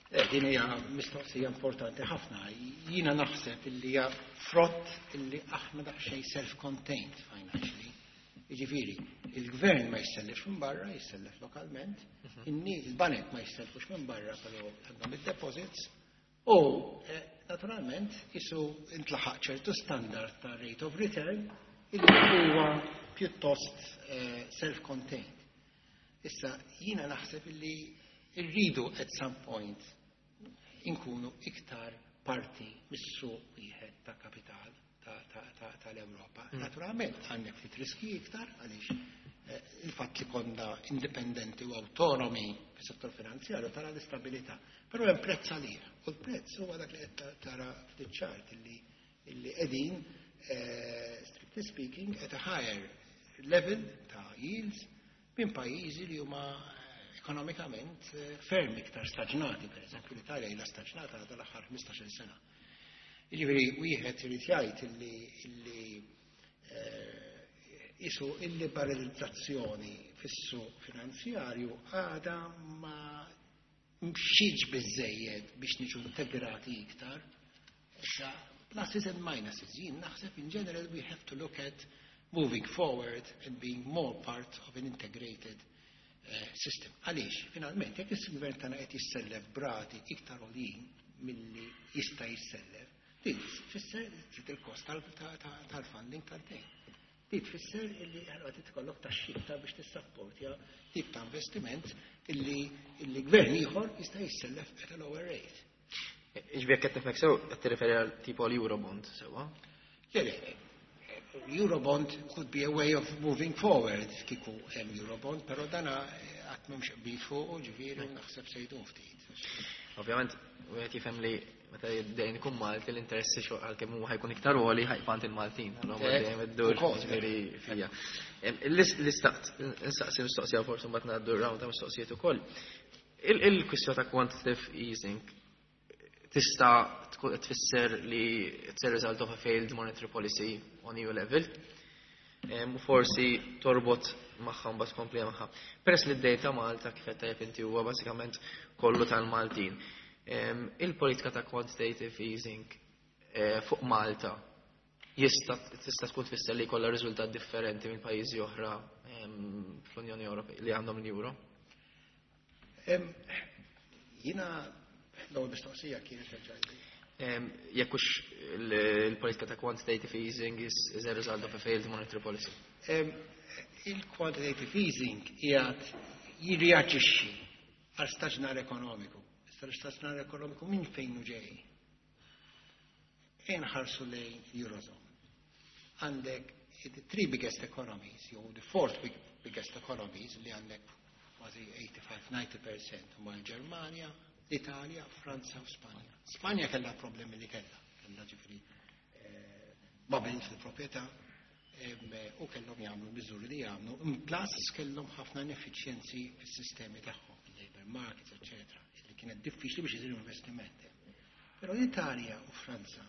Eh, Din hija mistoqsija importanti ħafna. Jiena naħseb illi hija frott illi aħna daqsxejn self-contained financially. Jiġifieri, il-gvern ma jissellifx minn barra, jissellef lokalment, inni il-banek ma jissellfux minn barra, però għandhom id-deposits, u eh, naturalment isu intlaħaq ċertu standard ta' rate of return illi huwa pjuttost eh, self-contained. Issa, jiena naħseb illi rridu at some point inkunu iktar parti mis-suq wieħed ta' kapital tal-Ewropa. Naturalment għandek ftit riski iktar għaliex eh, il-fatt li konna indipendenti u autonomi fis-settur finanzjarju tara l-istabilità. Però hemm prezz għalih. U l-prezz huwa dak li qed tara ftit illi illi qegħdin eh, strictly speaking at a higher level ta' yields minn pajjiżi li huma eh, ekonomikament ferm iktar staġnati, per eżempju l-Italja ilha staġnata għal l-aħħar ħmistax-il sena. Jiġifieri wieħed irid jgħid illi illi isu il-liberalizzazzjoni fis-suq finanzjarju għada ma mxietx biżejjed biex niġu integrati iktar. Issa pluses and minuses. Jien naħseb in general we have to look at moving forward and being more part of an integrated uh, system. Għaliex, finalment, jekk il-gvern tagħna qed jissellef b'rati iktar għoljin milli jista' jissellef, din tfisser trid il-kost tal-funding tal-dejn. Di tfisser illi għalwa tikollok taxxi biex tissapportja tip ta' investiment illi illi gvern ieħor jista' jissellef at a lower rate. Ġifieri qed nifhmek sew qed tirreferi għal tipo l-Eurobond sewwa? Le, le, Eurobond could be a way of moving forward kieku hemm Eurobond, però dana qatt m'hemmx qbil fuq, ġifieri naħseb se jdum ftit. Ovvjament, wieħed jifhem li meta dejn ikun Malti l-interessi għalkemm huwa ħa jkun iktar għoli ħa jkun il-Maltin. Dejjem iddur ġifieri fija. L-istaqt, nistaqsi mistoqsija forsi mbagħad ngħaddu round ta' mistoqsijiet ukoll. Il-kwistjoni ta' quantitative easing tista' tfisser li it's a result of a failed monetary policy on E U level. U forsi torbot magħha mbagħad tkompli magħha. Peress li d-dejn ta' Malta kif qed tajjeb inti huwa basikament kollu tal-Maltin. Il-politika ta' quantitative easing eh, fuq Malta jista' tista' tkun tfisser li jkollha riżultat differenti minn pajjiżi oħra fl-Unjoni Ewropea li għandhom l-euro? Jiena l-ewwel mistoqsija kienet reġgħi. Jekk hux il-politika ta' quantitative easing is, is a result of a failed monetary policy. Il-quantitative easing qiegħed jirreaġixxi għal staġnar ekonomiku. Issa l-istaġnar ekonomiku minn fejn hu ġej? Inħarsu lejn Eurozone. Għandek the three biggest economies, jew the fourth big, biggest economies li għandek kważi tminja u disgħin fil-mija huma l-Ġermanja, l-Italja, Franza u Spanja. Spanja kellha problemi li kellha, kellha ġifieri eh, bubble fil-proprjetà u kellhom jagħmlu miżuri li jagħmlu, plus kellhom ħafna ineffiċjenzi fis-sistemi tagħhom, il-labor markets, eccetera, li kienet diffiċli biex isiru investimenti. Però l-Italja u Franza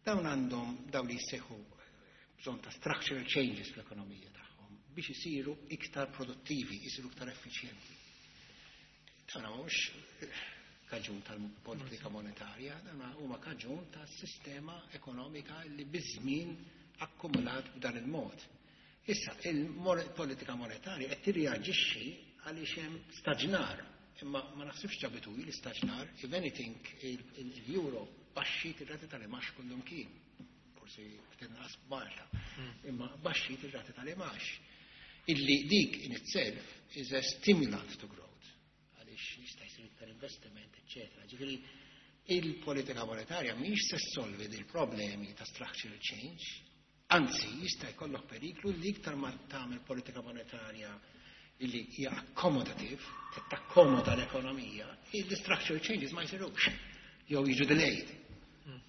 dawn għandhom dawn li jissejħu bżonn ta' structural changes fl-ekonomija tagħhom biex isiru iktar produttivi, isiru iktar effiċjenti. Dawn mhux kaġun tal-politika monetarja, dawn huma kaġun tas-sistema ekonomika li biż-żmien akkumulat b'dan il-mod. Issa, il-politika monetarja qed tirreaġixxi għaliex hemm staġnar, imma ma naħsibx ġabitu l-istaġnar, if anything, il-euro baxxiet ir-rati tal-imgħax kullimkien. Forsi ftit inqas Malta, imma baxxiet ir-rati tal-imgħax. Illi dik in itself is a stimulant to growth għaliex jista' jsir iktar investiment, eċċetera. Ġifieri il-politika monetarja mhix se ssolvi dil-problemi ta' structural change, anzi jista' jkollok periklu li iktar ma tagħmel politika monetarja illi hija accommodative, qed takkomoda l-ekonomija, il-structural changes ma jsirux jew jiġu delayed.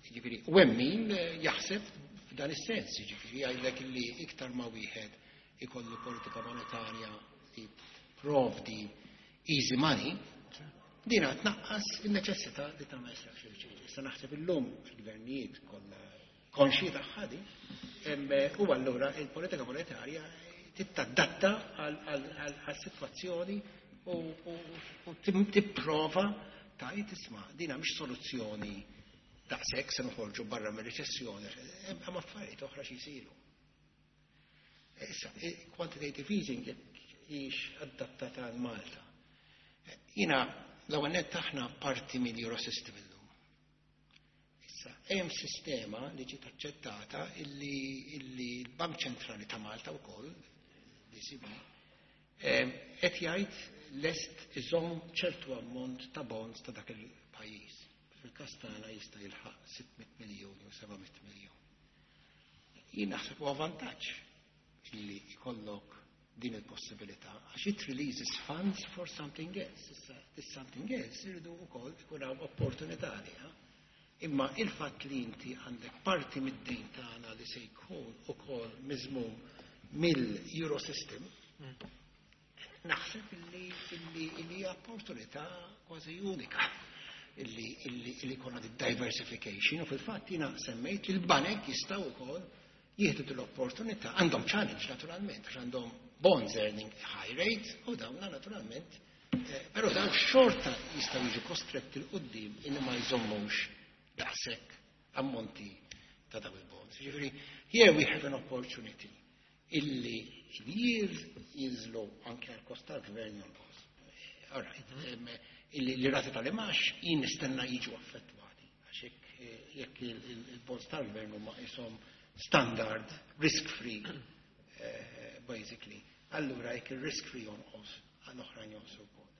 Ġifieri, u hemm min jaħseb f'dan is-sens, ġifieri jgħidlek illi iktar ma wieħed ikollu politika monetarja li provdi easy money, dina tnaqqas il-neċessità li tagħmel structural changes. Issa naħseb illum il-gvernijiet kollha konxji tagħha di, u allura il-politika monetarja tittadatta għal-sitwazzjoni u tipprova tgħid isma' dina mhix soluzzjoni daqshekk se noħorġu barra mir-riċessjoni, hemm affarijiet oħra xi jsiru. Issa, quantitative easing jekk hix adattata għal Malta. Jiena, l-ewwel nett aħna parti mill-Eurosystem illum. Issa, hemm sistema li ġiet aċċettata illi, illi l-Bank Ċentrali ta' Malta wkoll, l-E C B, qed jgħid lest iżomm ċertu ammont ta' bonds ta' dak il-pajjiż. Fil-każ tagħna jista' jilħaq sitt mitt miljun jew seba' mitt miljun. Jien naħseb huwa vantaġġ illi jkollok din il-possibilità għax it releases funds for something else. Issa, this something else irridu wkoll ikun hawn opportunità għaliha. Imma il-fatt li inti għandek parti mid-dejn tagħna li se jkun ukoll miżmum mill-Eurosystem, naħseb illi illi illi hija opportunità kważi unika illi illi illi jkollna di diversification. U fil-fatt jiena semmejt li l-banek jistgħu wkoll jieħdu l-opportunità. Għandhom challenge naturalment għax għandhom bonds earning high rate u dawna naturalment, eh, però dawn xorta jistgħu jiġu kostretti 'l quddiem illi ma jżommux daqshekk ammonti ta' dawn il-bonds. Ġifieri, here we have an opportunity illi il-yield jinżlu anke għal kost tal-gvern jonqos. All right, em, illi li rati tal-imgħax jien nistenna jiġu affettwati. Għax jekk eh, jekk il-bonds tal-gvern huma jisom standard, risk-free, eh, basically. Allura jekk il-risk-free jonqos, għall-oħrajn jonqsu wkoll.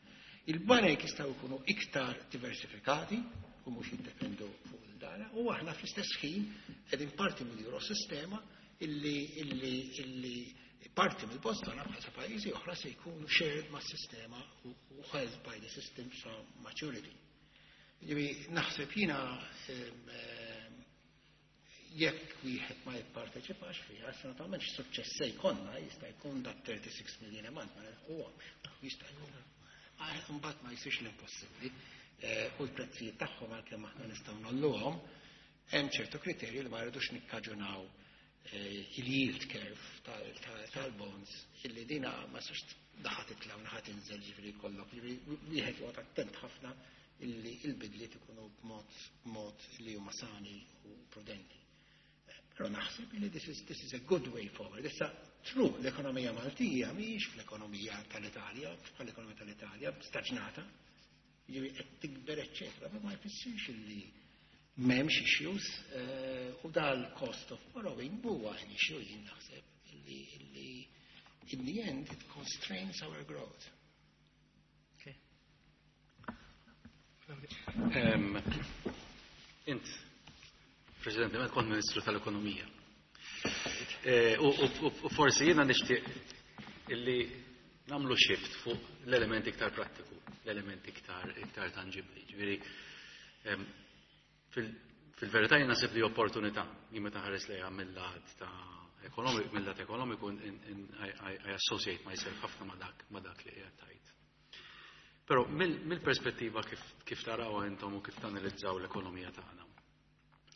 Il-banek jistgħu jkunu iktar diversifikati u mhux jiddependu fuq il-dana u aħna fl-istess ħin qegħdin parti mill-Eurosistema illi illi illi parti mill-bonds tagħna bħal pajjiżi oħra se jkunu shared mas-sistema u u held by the system sa maturity. Ġifieri naħseb jiena em, em, jekk wieħed ma jipparteċipax fiha, issa naturalment x'suċċess se jkollna, jista' jkun dak thirty-six million a month ma nilħquhomx, jista' jkun. Ma mbagħad ma jsirx l-impossibbli. Eh, U l-prezzijiet tagħhom, għalkemm aħna nistgħu ngħolluhom, hemm ċertu kriterji li ma rridux nikkaġunaw eh, il-yield curve tal-bonds illi dina ma sax naħa titla' u naħa tinżel, ġifieri jkollok. Ġifieri wieħed joqgħod attent ħafna illi il-bidliet ikunu b'mod b'mod li huma sani u prudenti. Però naħseb li this is, this is a good way forward. Issa, true, l-ekonomija Maltija mhijiex fl-ekonomija tal-Italja, bħal-ekonomija tal-Italja, staġnata, ġifieri qed tikber, eċċetera, ma ma jfissirx illi m'hemmx issues eh, u dal-cost of borrowing huwa an issue, jien naħseb illi illi in the end it constrains our growth. Okay. Em, Int, President, meta kont Ministru tal-Ekonomija. Eh, U u- u forsi jiena nixtieq illi nagħmlu shift fuq l-element iktar prattiku, l-element iktar iktar tangibli. Ġifieri, em, fil- fil-verità jien naħseb li opportunità, jien meta ħares lejha mill-lat ta' ekonomik, mill-lat ekonomiku, in- in- I, I, I associate myself ħafna ma' dak ma' dak li qiegħed tgħid. Però mill-perspettiva kif, kif taraw intom u kif tanalizzaw l-ekonomija tagħna,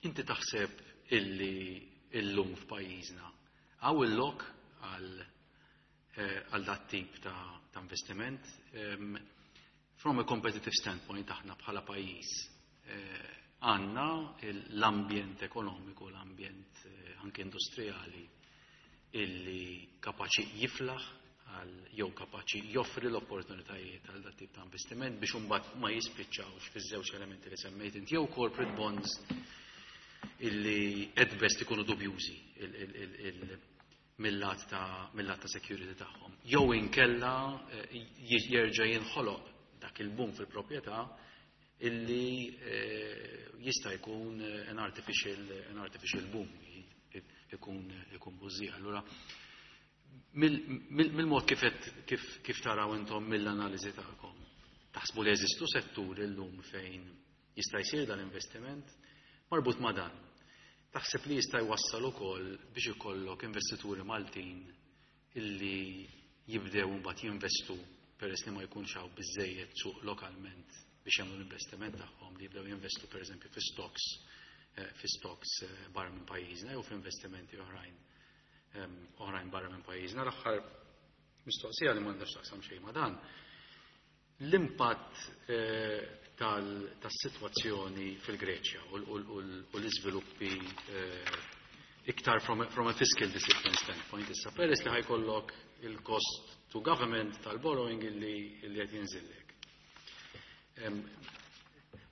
inti taħseb illi illum f'pajjiżna hawn il-lok għal eh, għal dat tip ta', ta' investiment? Em, from a competitive standpoint, aħna bħala pajjiż eh, għandna l-ambjent ekonomiku, l-ambjent eh, anke industrijali illi kapaċi jiflaħ għal jew kapaċi joffri l-opportunitajiet għal dat tip ta' investiment biex imbagħad ma jispiċċawx fiż-żewġ elementi li semmejt inti, jew corporate bonds illi at best ikunu dubjużi il- il- il- il- mill-lat ta' mill-lat ta' security tagħhom. Jew inkella eh, jerġa' jinħoloq dak il-boom fil-proprjetà illi eh, jista' jkun eh, an artificial an artificial boom, ikun ikun bużija. Allura mill-mod kif kif kif taraw intom mill-analiżi tagħkom, taħsbu li jeżistu setturi llum fejn jista' jsir dan investiment marbut ma' dan? Taħseb li jista' jwassal ukoll biex ikollok investituri Maltin illi jibdew mbagħad jinvestu, peress li ma jkunx hawn biżejjed suq lokalment biex jagħmlu l-investiment tagħhom, li jibdew jinvestu pereżempju fi stocks eh, fi stocks eh, barra minn pajjiżna jew f'investimenti oħrajn oħrajn barra minn pajjiżna? L-aħħar mistoqsija li m'għandax taqsam xejn ma' dan. L-impatt eh, tas-sitwazzjoni fil-Greċja u l-iżviluppi iktar from a, from a fiscal discipline standpoint issa, peress li ħa jkollok il-cost to government tal-borrowing illi qed jinżillek.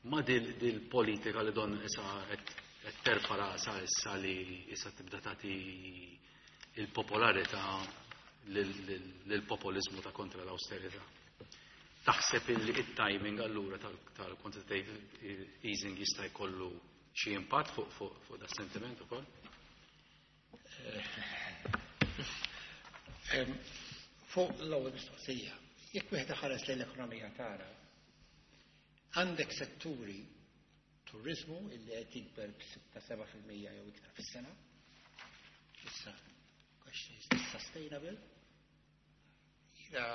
Ma dil politika li don issa qed terfa' rasa issa li issa tibda tagħti il-popolarità lill-populizmu ta' kontra l-austerità. Taħseb illi it-timing allura tal-quantitative easing jista' jkollu xi impatt fuq fuq fuq da sentiment ukoll? Em, Fuq l-ewwel mistoqsija, jekk wieħed ħares lejn l-ekonomija tara, għandek setturi turizmu illi qed jikber b'sitta seba' fil-mija jew iktar fis-sena. Issa, question, is this sustainable? Jiena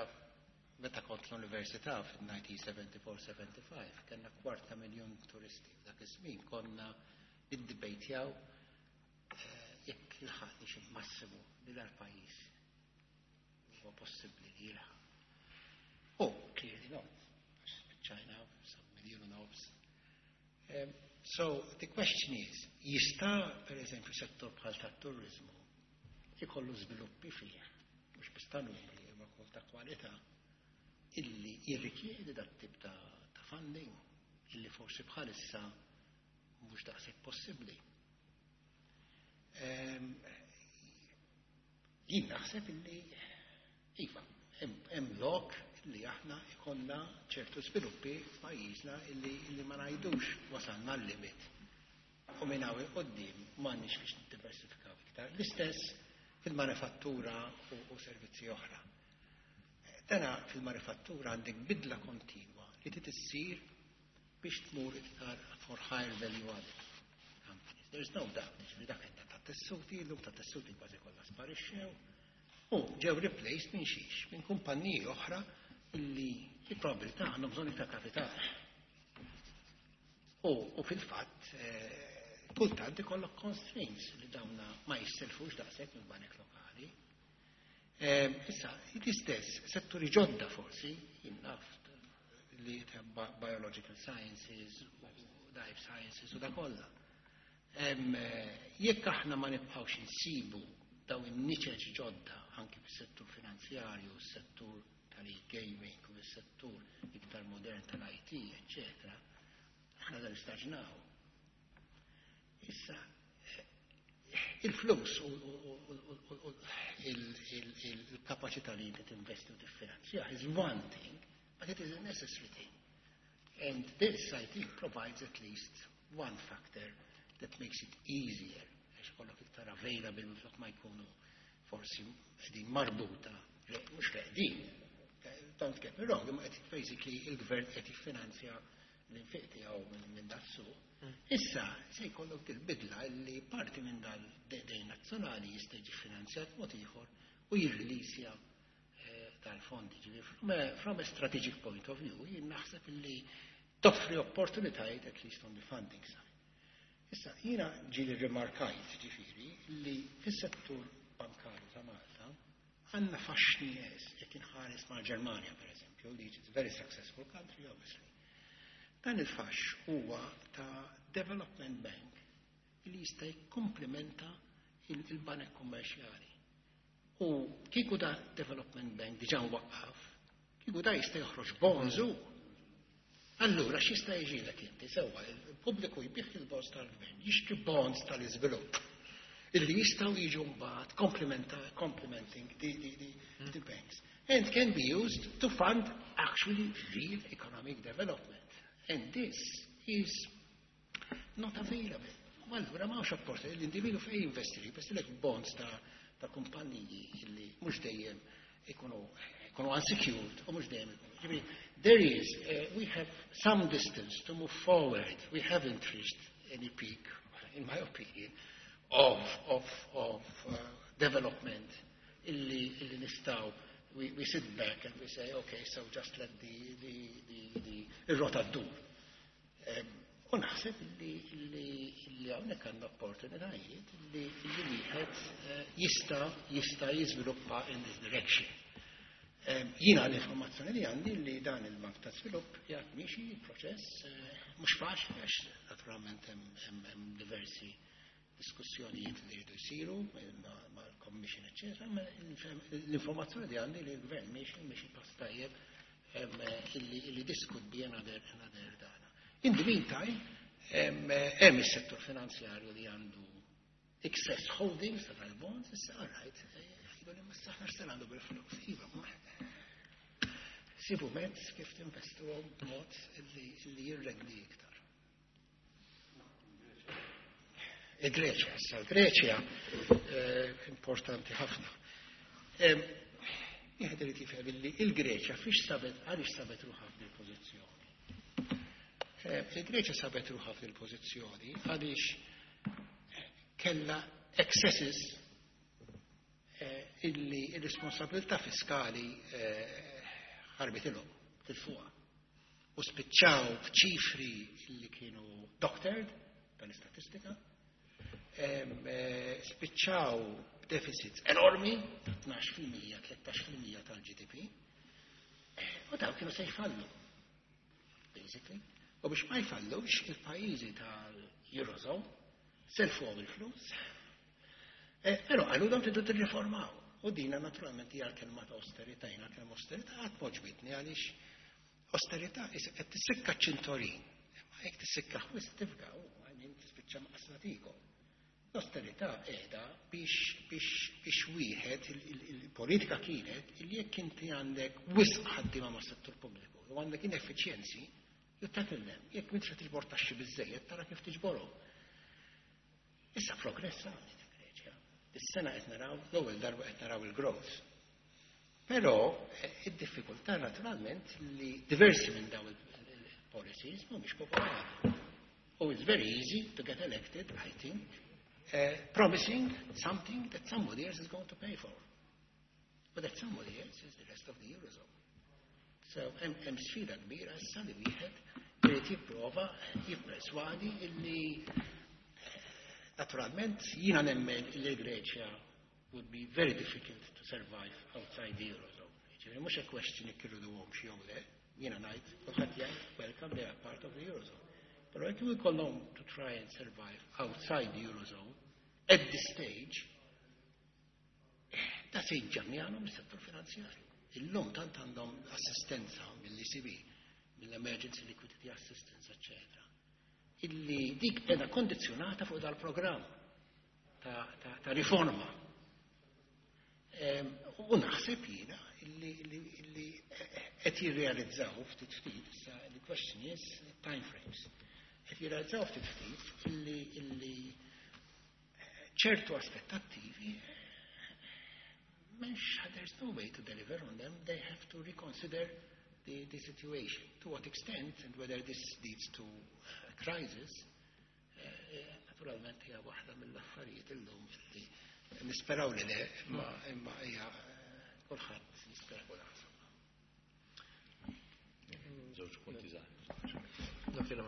meta kont l-università fil-elf disa' mija u sebgħa u sebgħin sebgħa u ħamsin kellna kwarta miljon turisti. F'dak iż-żmien konna niddibejtjaw eh, jekk ilħaqniex il-massimu li dal-pajjiż huwa possibbli li jilħaq. Oh, clearly not. Għax spiċċajna sa miljun u nofs. Um, so the question is, jista' per eżempju settur bħal tat-turizmu ikollu żviluppi fih, mhux biss ta' numri, imma wkoll ta' kwalità, illi jirrikjedi dat tip ta', ta' funding, illi forsi bħalissa mhux daqshekk possibbli. Um, jien naħseb illi iva, hemm lok illi aħna ikollna ċertu sviluppi f'pajjiżna illi, illi ma ngħidux wasalna l-limit. U minn hawn 'il quddiem m'għandniex biex niddiversifikaw iktar. L-istess fil-manifattura u, u servizzi oħra. Dana fil-manifattura għandek bidla kontinwa li trid issir biex tmur iktar for higher value added companies. There's no doubt, ġifieri dak qed ta' tessuti, llum ta' tessuti kważi kollha sparixxew. U ġew replaced minn xiex, minn kumpanniji oħra illi il-probabilità għandhom bżonn iktar kapital. U, u fil-fatt, eh, kultant ikollok constraints li dawna ma jisselfux daqshekk minn banek lokali. Eh, issa, l-istess, setturi ġodda forsi, jien naf li ta' biological sciences, u life sciences u da kollha. Em, eh, Jekk aħna ma nibqgħux insibu daw in-niċeċ ġodda anki fis-settur finanzjarju, s-settur tal-e-gaming u s-settur iktar modern tal-I T, eccetera, aħna dan istaġnaw. Issa, eh, il-flus u u- u- u- u- u il- il- il- il-kapacità li inti tinvesti u tiffinanzja is one thing, but it is a necessary thing. And this, I think, provides at least one factor that makes it easier, għax kollok iktar available minflok ma jkunu forsi qegħdin marbuta, le, mhux qegħdin, don't get me wrong, imma qed basically il-gvern qed jiffinanzja l-infiq tiegħu minn min das-suq. Issa se jkollok dil-bidla li parti minn dal-dejn nazzjonali jista' jiġi finanzjat mod ieħor u jirrilisja eh, tal-fondi. Ġifieri, From a, from a strategic point of view, jien naħseb li toffri opportunitajiet at least on the funding side. Issa, jiena ġieli rimarkajt, ġifieri, li fis-settur bankarju ta' Malta għandna faxx nieqes jekk inħares ma' Ġermanja, per eżempju, li is a very successful country, obviously. Dan il-fax huwa ta' development bank li jista' jikkomplementa il- il-banek kummerċjali. U kieku da development bank diġà waqqaf, kieku da jista' joħroġ bonds u. Allura x'jista' jiġilek inti sewwa il-pubbliku jbigħ il-bonds tal-gvern, jixtri bonds tal-iżvilupp illi jistgħu jiġu mbagħad complementa- complementing the, the, the, the banks and can be used to fund actually real economic development. And this is not available. U allura ma hawnx opportunità l-individu fejn jinvesti, jinvesti bonds ta' ta' kumpanniji illi mhux dejjem ikunu ikunu unsecured u mhux dejjem ikunu. Ġifieri, there is, uh, we have some distance to move forward. We haven't reached any peak, in my opinion, of, of, of uh, development illi, illi nistgħu we, we sit back and we say, "Okay, so just let the, the, the, the, il-rota ddur." Um, u naħseb illi illi illi hawnhekk għandna opportunitajiet illi illi wieħed eh, jista' jista' jiżviluppa in this direction. Um, Jiena l-informazzjoni li għandi li dan il-Bank ta' Svilupp jgħat miexi il-proċess eh, mhux faċli għax naturalment hemm hemm- hemm diversi diskussjonijiet li jridu jsiru mal-Commission, eccetera, ma l-informazzjoni li għandi li l-gvern miexi miexi pass tajjeb em, illi illi this could be another another dana. In the meantime, em, hemm is-settur finanzjarju li għandu excess holdings ta' tal-bonds, issa all right, jgħidu li ma saħna x'se għandu bil-flus. Iva, ma Sibu mezz kif tinvestuhom b'mod li, li jirrendi iktar. Il-Greċja, issa l-Greċja eh, importanti ħafna. Wieħed irid jifhem li il-Greċja fiex sabet, għaliex sabet ruħha f'dil pożizzjoni. Il-Greċja sabet ruħha f'dil pożizzjoni għaliex kellha excesses eh, illi il-responsabilità fiskali eh, ħarbitilhom tilfuha. U spiċċaw b'ċifri illi kienu doctored tal-istatistika, eh, spiċċaw deficits enormi, tnax fil-mija, tlettax fil-mija tal-G D P, u daw kienu se jfallu, basically. U biex ma jfallux, il-pajjiżi tal-Eurozone selfuhom il-flus, eh, però għalu dawn tridu tirriformaw. U dina naturalment hija l-kelma ta' austerità, jiena l-kelma austerità qatt m'għoġbitni għaliex austerità qed tissikka ċintorin. Ma jekk tissikka wisq tifga, u għajmin tispiċċa maqsna tikom. L-austerità qiegħda biex biex biex wieħed il-politika kienet illi jekk inti għandek wisq ħaddiema ma' settur pubbliku u għandek ineffiċjenzi, you tackle them. Jekk m'intx tiġbor taxxi biżejjed, tara kif tiġborhom. Issa progress għandi ta' Greċja. Is-sena qed naraw, l-ewwel darba qed naraw il-growth. Però eh, id-diffikultà naturalment li diversi minn dawn il-policies mhumiex popolari. Oh, it's very easy to get elected, I think, uh, promising something that somebody else is going to pay for. But that somebody else is the rest of the Eurozone. So, hemm sfida kbira issa li wieħed irid jipprova jipperswadi illi naturalment jiena nemmen illi Greċja would be very difficult to survive outside the Eurozone. Ġifieri mhux a question jekk irriduhomx jew le, jiena ngħid kulħadd jgħid welcome, they are part of the Eurozone. Però jekk ikollhom to try and survive outside the Eurozone at this stage, da se jġannjanhom is-settur finanzjarju. Illum tant għandhom assistenza mill-E C B, mill-Emergency Liquidity Assistance, eccetera. Illi dik qiegħda kondizjonata fuq dal-programm ta', ta, ta riforma. U naħseb jiena illi, illi, illi qed jirrealizzaw ftit ftit, issa the question is time frames. Qed jirrealizzaw ftit ftit illi, illi ċertu aspettattivi m'hemmx, there's no way to deliver on them. They have to reconsider the, the situation. To what extent and whether this leads to a crisis, eh, naturalment hija waħda mill-affarijiet illum li nisperaw li le, imma imma hija kulħadd jispera kulħadd. Żewġ punti żgħar. Dak li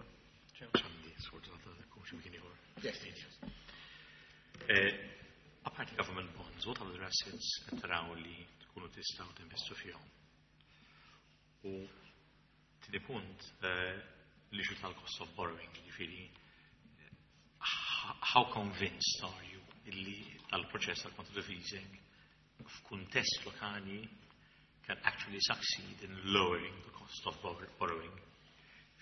Għandi, sfortunatament, kum xi mkien ieħor. Yes, yes. Eh, Apparti government bonds, what other assets qed taraw li tkunu tistgħu tinvestu fihom? U tieni punt, eh, l-issue tal-cost of borrowing, jiġifieri how convinced are you illi tal-proċess tal-quantitative easing f'kuntest lokali can actually succeed in lowering the cost of borrowing?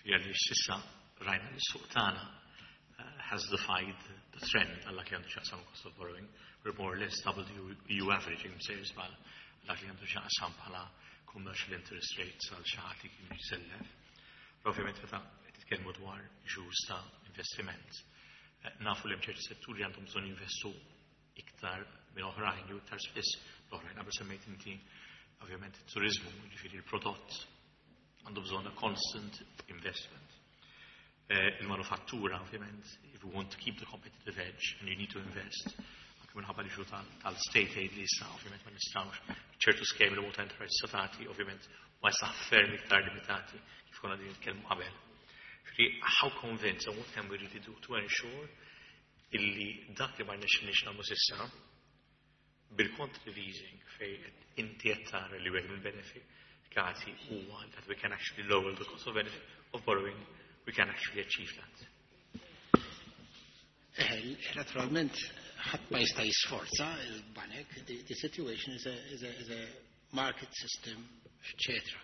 Jiġifieri s'issa rajna li s-suq tagħna uh, has defied the trend għal dak li għandu x'jaqsam cost of borrowing. We're more or less double the E U average, msejjer żball, dak li għandu x'jaqsam bħala commercial interest rates għal xi ħadd li kien jisellef. Ovvjament meta titkellmu dwar issues ta' investiment, eh, nafu li hemm ċerti setturi għandhom bżonn jinvestu iktar minn oħrajn jew iktar spiss l-oħrajn. Qabel semmejt inti ovvjament it-turizmu, jiġifieri il-prodott għandu bżonn a constant investment. Eh, il-manufattura, ovvjament, if you want to keep the competitive edge and you need to invest, anke minħabba l-issue tal-state aid li issa, ovvjament ma nistgħux, ċertu skemi li multa enterprise statati, ovvjament, ma issa ferm iktar limitati, kif konna din nitkellmu qabel. Ġifieri, how convinced and what can we really do to ensure illi dak li ma rnexxinniex nagħmlu s'issa bil-quantitative easing fej inti qed tara li wieħed mill-benefikati huwa that we can actually lower the cost of benefit of borrowing, we can actually achieve that? Eh, naturalment, ħadd ma jista' jisforza il-banek, the, the situation is a, is a, is a market system, et cetera.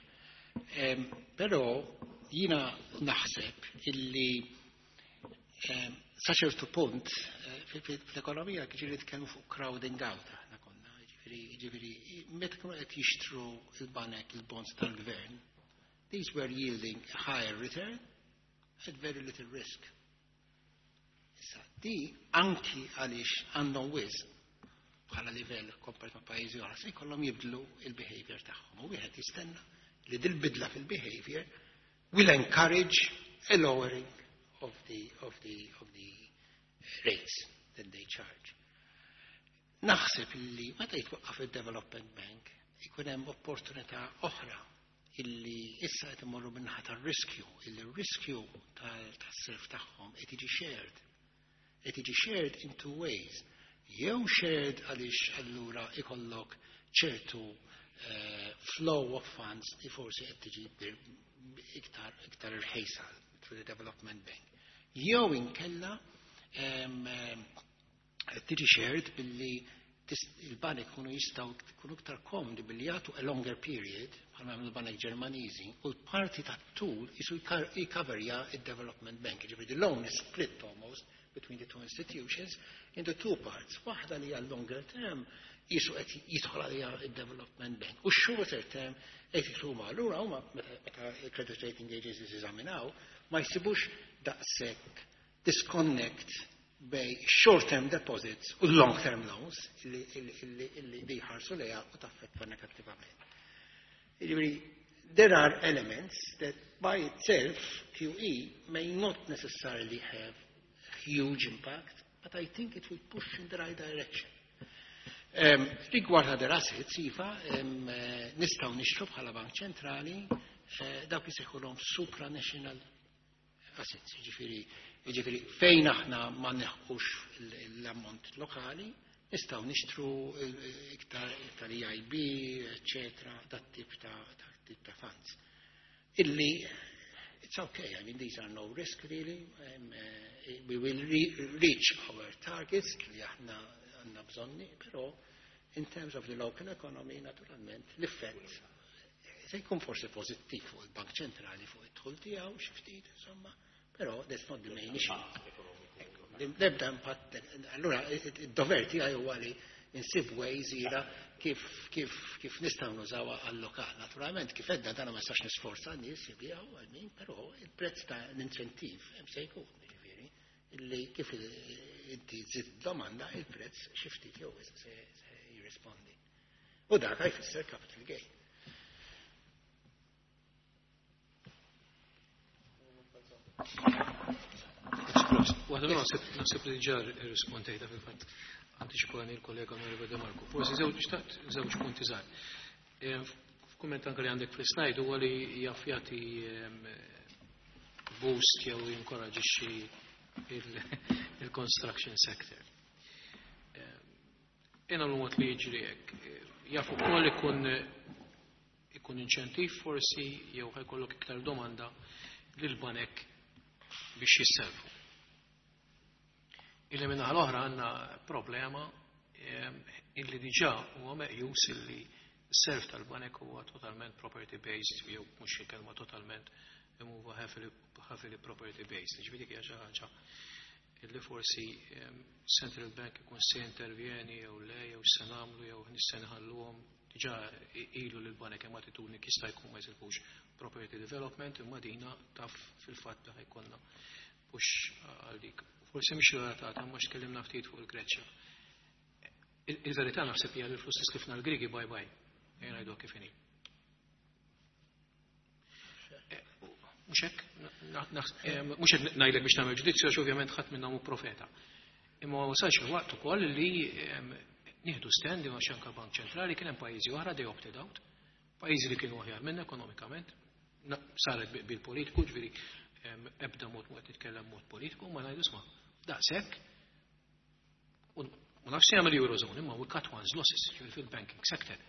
Um, però jina naħseb illi um, sa ċertu punt eh, fl-ekonomija ġieli tkellmu fuq crowding out aħna konna, ġifieri Ġifieri, ġifieri, meta kienu qed jixtru il-banek il-bonds tal-gvern, these were yielding a higher return at very little risk. Issa, di anki għaliex għandhom wisq bħala livell compared ma' pajjiżi oħra, se jkollhom jibdlu il-behavior tagħhom. U wieħed jistenna li dil-bidla fil-behavior will encourage a lowering of the, of the, of the rates that they charge. Naħseb illi meta jitwaqqaf il-Development Bank ikun hemm opportunità oħra illi issa qed imorru min-naħa tar-riskju, illi r-riskju tas-self tagħhom qed jiġi shared. Qed jiġi shared in two ways. Jew shared għaliex allura ikollok ċertu uh, flow of funds li forsi qed tiġi iktar iktar irħejsa through the Development Bank. Jew inkella um, tiġi shared billi il-banek kunu jistgħu kunu iktar komdi billi jagħtu a longer period bħalma jagħmlu l-banek Ġermaniżi u l-parti tat-tul jisu jikaverja il-Development Bank. Ġifieri the loan is split almost between the two institutions into two parts. Waħda li hija longer term jisu qed jidħol għalija il-Development Bank. U shorter term qed jidħlu ma allura huma meta il-credit rating agencies eżaminaw ma jsibux daqshekk disconnect bejn short-term deposits u long-term loans illi, illi, illi li jħarsu lejha u taffettwa negattivament. Jiġifieri, there are elements that by itself Q E may not necessarily have huge impact, but I think it will push in the right direction. Um, rigward other assets, iva, um, nistgħu nixtru bħala Bank Ċentrali uh, dawk jisejħulhom supranational assets, ġifieri, ġifieri fejn aħna ma nilħqux l-ammont lokali, nistgħu nixtru iktar iktar E I B, eccetera, dat tip ta' dat tip ta' funds. Illi it's okay, I mean, these are no risk really. Um, uh, we will re reach our targets li aħna għandna bżonni, però in terms of the local economy, naturalment, l-effett se jkun forsi pozittiv fuq il-Bank Ċentrali, fuq id-dħul tiegħu xi ftit, insomma, però that's not the main issue. L-ebda impatt, allura id-dover tiegħi huwa li insib ways ira kif kif kif nistgħu nużawha għal-lokal. Naturalment, kif għedna dana ma nistax nisforza n-nies jibigħu, I mean, però il-prezz ta' l-inċentiv hemm se jkun, ġifieri, illi kif inti żid domanda, il-prezz xi ftit jew se jirrispondi. U dak jfisser capital gain. Waħda naħseb li ġa rrispondejta fil-fatt antiċipani il-kollega Onorevole De Marco. Forsi żewġ xtaqt żewġ punti żgħar. F'kumment anke li għandek fl-slide huwa li jaf jagħti boost jew jinkoraġixxi il-construction sector. Ena l-mod li jiġri hekk. Jaf ukoll ikun ikun inċentiv forsi jew ħa jkollok iktar domanda lil banek biex jisselfu. Illi minna l-oħra għandna problema illi diġà huwa meqjus illi self tal-banek huwa totalment property based, jew mhux il-kelma totalment, imma huwa heavily property based. Ġifieri hija xi ħaġa illi forsi Central Bank ikun se intervjeni jew le, jew se nagħmlu jew se nħalluhom. Diġà ilu lil banek hemm attitudni jista' jkun ma jisilfux property development, imma dina taf fil-fatt li ħa jkollna push għal dik. Forsi mhix relatata, ma tkellimna ftit fuq il-Greċja. Il-verità naħseb hija li l-flus tislifna l-Grigi bye bye. Ejja ngħidu kif inhi. Mhux hekk, mhux qed ngħidlek biex tagħmel ġudizzju għax ovvjament ħadd minnhom hu profeta. Imma wasalx il-waqt ukoll li nieħdu stand għax anke Bank Ċentrali kien hemm pajjiżi oħra they opted out, pajjiżi li kienu aħjar minna ekonomikament, saret bil-politiku, ġifieri ebda mod mod nitkellem mod politiku, ma ngħidu isma' daqshekk. U nafx jagħmel Eurozone, imma we cut one's losses, ġifieri fil-banking sector.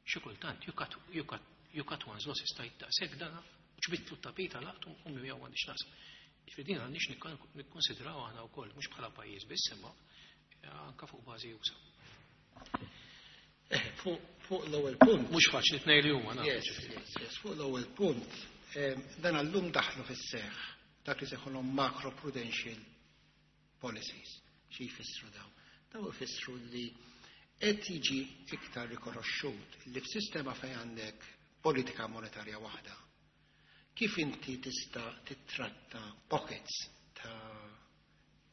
Xi kultant you cut, you cut, you cut one's losses, tajt daqshekk dana ġbidtlu t-tapita laqtu u miegħu m'għandix naqsam. Ġifieri din għandix nikkonsidraw aħna wkoll mhux bħala pajjiż biss imma anke fuq bażi usa. Fuq l-ewwel punt. Mhux faċli tnejn li huma. Yes, yes, yes. Fuq l-ewwel punt, dan allum daħlu fis-seħħ dak li sejħulhom macro prudential policies. Xi jfissru dawn? Daw jfissru li Qed jiġi iktar rikonoxxut li f'sistema fejn għandek politika monetarja waħda, kif inti tista' titratta pockets ta'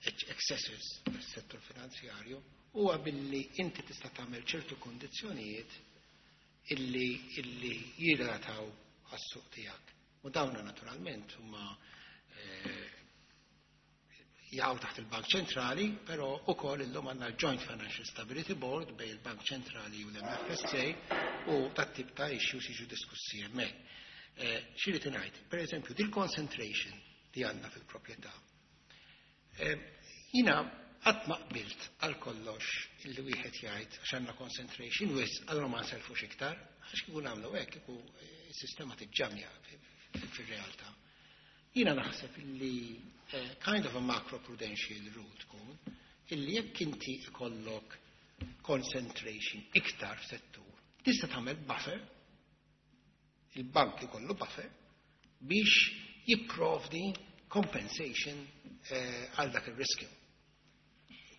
excesses fis-settur finanzjarju huwa billi inti tista' tagħmel ċertu kondizzjonijiet illi illi jirrataw għas-suq tiegħek. U dawna naturalment huma eh, jaqgħu taħt il-Bank Ċentrali, però ukoll illum għandna l-Joint Financial Stability Board bejn il-Bank Ċentrali u l-M F S A u dat-tip ta' issues jiġu diskussi hemmhekk. Eh, X'irrid ngħid? Per eżempju, dil-concentration li għandna fil-proprjetà. Eh, Jiena qatt ma qbilt għal kollox illi wieħed jgħid għax għandna concentration wisq, allura ma nselfux iktar, għax kieku nagħmlu hekk kieku s-sistema tiġġamja fir-realtà. Jiena naħseb illi eh, kind of a macro-prudential rule tkun illi jekk inti ikollok concentration iktar f'settur, tista' tagħmel buffer, il-bank ikollu buffer biex jipprovdi compensation eh, għal dak il-riskju.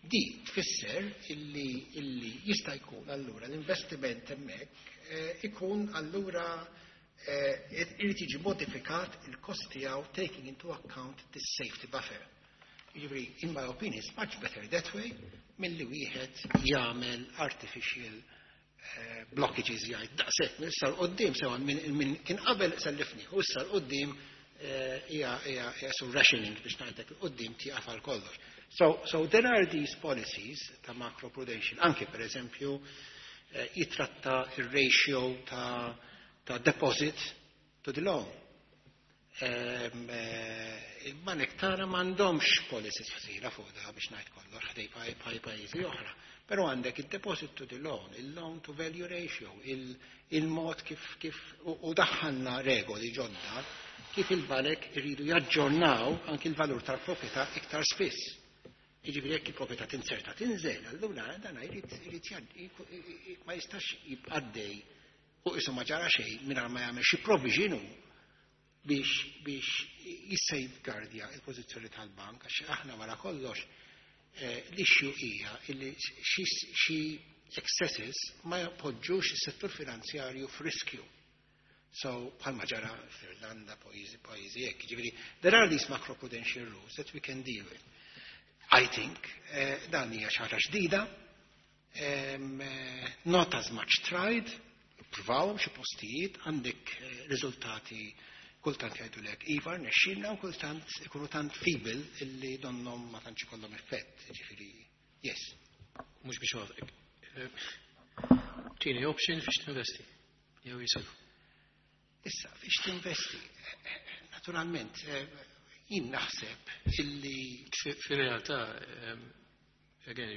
Di tfisser illi, illi jista' jkun allura l-investiment hemmhekk eh, ikun allura eh, irid jiġi modifikat il-kost tiegħu taking into account this safety buffer. Jiġifieri, in my opinion, it's much better that way milli wieħed jagħmel artificial eh, blockages, jgħid daqshekk minn issa 'l quddiem, sewa minn min kien qabel sellifni u issa 'l quddiem eh, hija hija hija su rationing biex ngħidlek 'il quddiem tieqaf għal kollox. So, so there are these policies ta' macroprudential, anke per eżempju eh, jitratta il-ratio ta', ta' deposit to the loan. Ehm, eh, Il-banek tagħna m'għandhomx policies ħżiena fuq da biex ngħid kollox ħdej paj pajjiżi oħra. Però għandek il-deposit to the loan, il-loan to value ratio, il-mod kif kif u u daħħalna regoli ġodda kif il-banek iridu jaġġornaw anki il-valur tal-proprjetà iktar spiss. Jiġifieri jekk il-proprjetà tinserta tinżel, allura dan jrid irid ma jistax jibqa' għaddej u qisu ma ġara xejn mingħajr ma jagħmel xi provision biex biex jissafeguardja il-pożizzjoni tal-bank, għax aħna wara kollox eh, l-issue hija illi xi excesses ma jpoġġux is-settur finanzjarju f'riskju. So, bħalma ġara fl-Irlanda, pajjiżi, pajjiżi hekk. Ġifieri, there are these macroprudential rules that we can deal with. I think eh, dan hija xi ħaġa ġdida, um, eh, not as much tried, provawhom xi postijiet, għandek eh, riżultati kultant jgħidulek iva rnexxielna u kultant ikunu tant feeble illi donnom ma tantx ikollhom effett, ġifieri, yes. Mhux biex wafqek. Tieni option fiex tinvesti. Jew jisilfu. Issa, fiex tinvesti, naturalment, eh, jien naħseb illi Fi-realtà, again,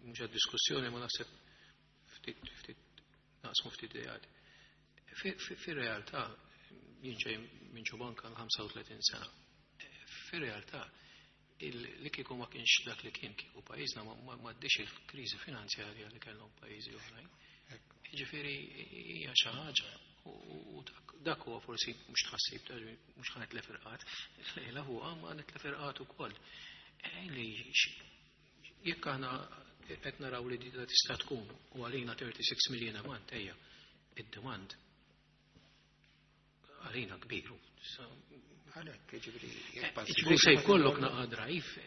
mhux għad-diskussjoni, ma naħseb ftit ftit naqsmu ftit ideat. Fi-realtà, jien ġej minn ġo banka ħamsa u tletin sena. Fi-realtà, li kieku ma kienx dak li kien kieku pajjiżna ma m'għaddiex il-kriżi finanzjarja li kellhom pajjiżi oħrajn. Jiġifieri hija xi ħaġa u dak huwa forsi mhux tħassib, mhux ħa nitlef irqad, lejla huwa ma nitlef irqad ukoll. Li jekk aħna qed naraw li dita tista' tkun u għalina tlieta u tletin million a month, ejja, id-demand għalina kbir. Għalhekk, ġifieri, Ġifieri se jkollok naqa drive,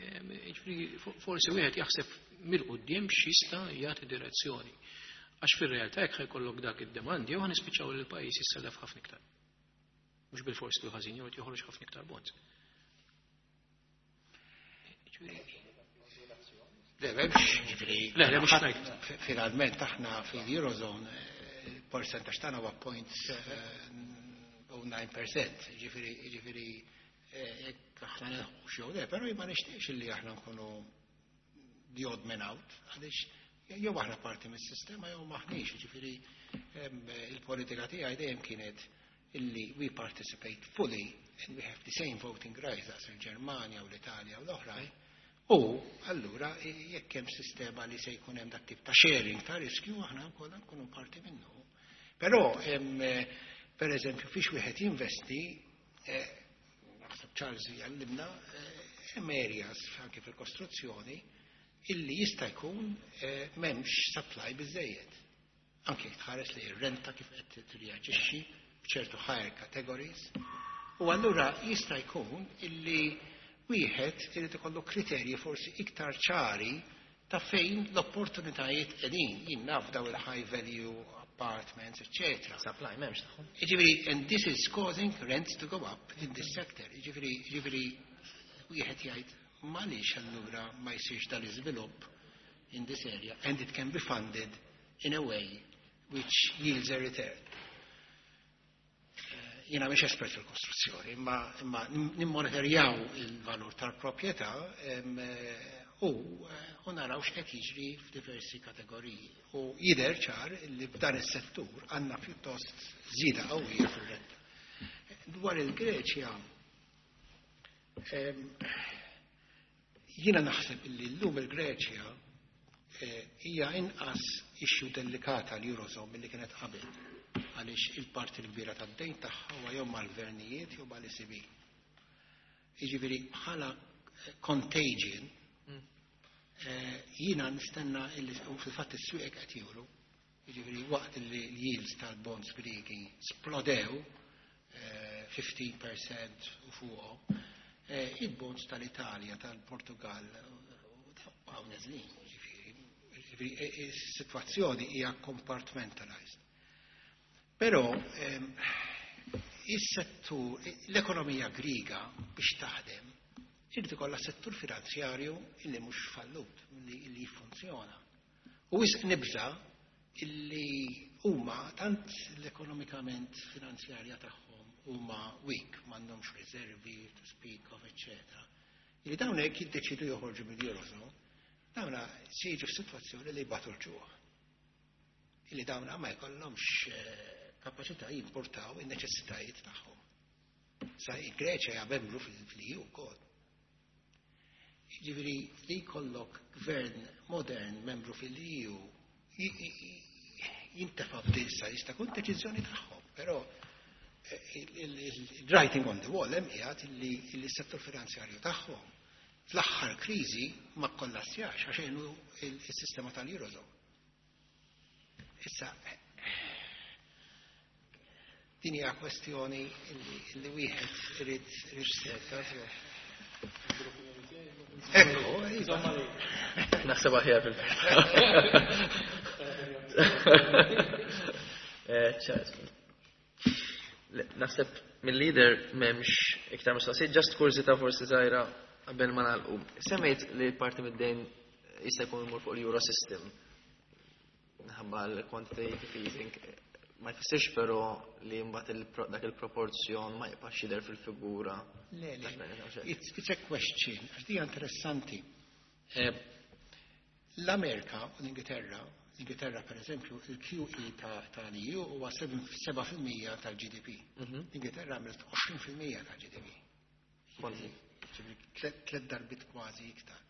ġifieri forsi wieħed jaħseb mill-quddiem x'jista' jagħti direzzjoni. Għax fir-realtà jekk jkollok dak id-demand, jew ħanispiċċaw li l-pajjiż jissellef ħafna iktar. Mhux bil-forsi li ħażin, jew joħroġ ħafna iktar bonds. Le, m'hemmx, ġifieri. Le, le, mhux ngħid. Finalment aħna fil-Eurozone il-percentaġġ tagħna huwa zero punt zero nine percent, ġifieri ġifieri jekk aħna nilħqux jew le, però ma nixtieqx illi aħna nkunu the odd man out, għaliex jew aħna parti mis-sistema jew maħniex, ġifieri il-politika tiegħi dejjem kienet illi we participate fully and we have the same voting rights as il-Ġermanja u l-Italja u l-oħrajn. U allura jekk hemm sistema li se jkun hemm dak tip ta' sharing ta' riskju, aħna wkoll nkunu parti minnu. Però hemm, per eżempju, fiex wieħed jinvesti, naħseb Charles jgħallimna, hemm areas anke fil-kostruzzjoni Illi jista' jkun eh, m'hemmx supply biżejjed. Anke jekk tħares li r-renta kif qed tirreaġixxi f'ċertu higher categories. U allura jista' jkun illi wieħed irid ikollu kriterji forsi iktar ċari ta' fejn l-opportunitajiet qegħdin. Jien naf daw il-high value apartments, eccetera. Supply m'hemmx tagħhom. Jiġifieri, and this is causing rents to go up in this sector. Jiġifieri, jiġifieri, wieħed jgħid għaliex allura ma jsirx dal-iżvilupp in this area and it can be funded in a way which yields a return. Eh, Jiena mhix espert fil-kostruzzjoni, imma, imma nimmonitorjaw il-valur tal-proprjetà em, eh, u, eh, u naraw x'qed jiġri f'diversi kategoriji. U jidher ċar li f'dan is-settur għandna pjuttost żieda qawwija fir-renta. Dwar il-Greċja, em, jiena naħseb illi llum il-Greċja eh, hija inqas issue delikata l-Eurozone milli kienet qabel għaliex il-parti l-kbira tad-dejn tagħha huwa jew mal-gvernijiet jew mal-E C B. Jiġifieri bħala eh, contagion eh, jiena nistenna illi u fil-fatt is-swieq qed juru, jiġifieri waqt li l-yields tal-bonds Griegi splodew eh, ħmistax fil-mija u fuqhom, eh, il-bonds tal-Italja, tal-Portugal, għaw neżlin, jiġifieri, jiġifieri, eh, is-sitwazzjoni hija compartmentalized. Però ehm, is-settur, l-ekonomija Griega biex taħdem, irid ikollha settur finanzjarju illi mhux fallut, illi, illi jiffunzjona. U wisq nibża illi huma tant l-ekonomikament finanzjarja tagħhom huma weak, m'għandhomx riservi to speak of, eccetera. Illi dawn hekk jiddeċidu joħorġu mill-Eurozone, dawna se jiġu f'sitwazzjoni li jbatu l-ġuħ. Illi dawna ma jkollhomx eh, kapaċità jimportaw in-neċessitajiet tagħhom. Sa il-Greċja hija membru fil-E U wkoll. Jiġifieri li jkollok gvern modern membru fil-E U jintefa' f'dilsa jista' jkun deċiżjoni tagħhom, però eh, il-writing on the wall hemm qiegħed illi s-settur finanzjarju tagħhom fl-aħħar kriżi ma kollassjax għax għenu il-sistema tal-Eurozone. Issa, din hija kwestjoni illi wieħed irid Ekku, iva. Naħseb aħjar fil-verità. Eh, Naħseb mill-leader m'hemmx iktar mistoqsijiet, just kurżità forsi żgħira qabel ma nagħlqu. Semmejt li parti mid-dejn jista' jkun imur fuq l-Euro system. Minħabba l-quantitative easing. Ma jfissirx però li mbagħad dak il-proporzjon ma jibqax jidher fil-figura. Le, le, it's, it's a question, għax dija interessanti. Eh, L-Amerika u l-Ingilterra, l-Ingilterra per eżempju, il-Q E tal-E U huwa seba' fil-mija tal-G D P. L-Ingilterra għamlet għoxrin fil-mija tal-G D P. Tlet darbit kważi iktar.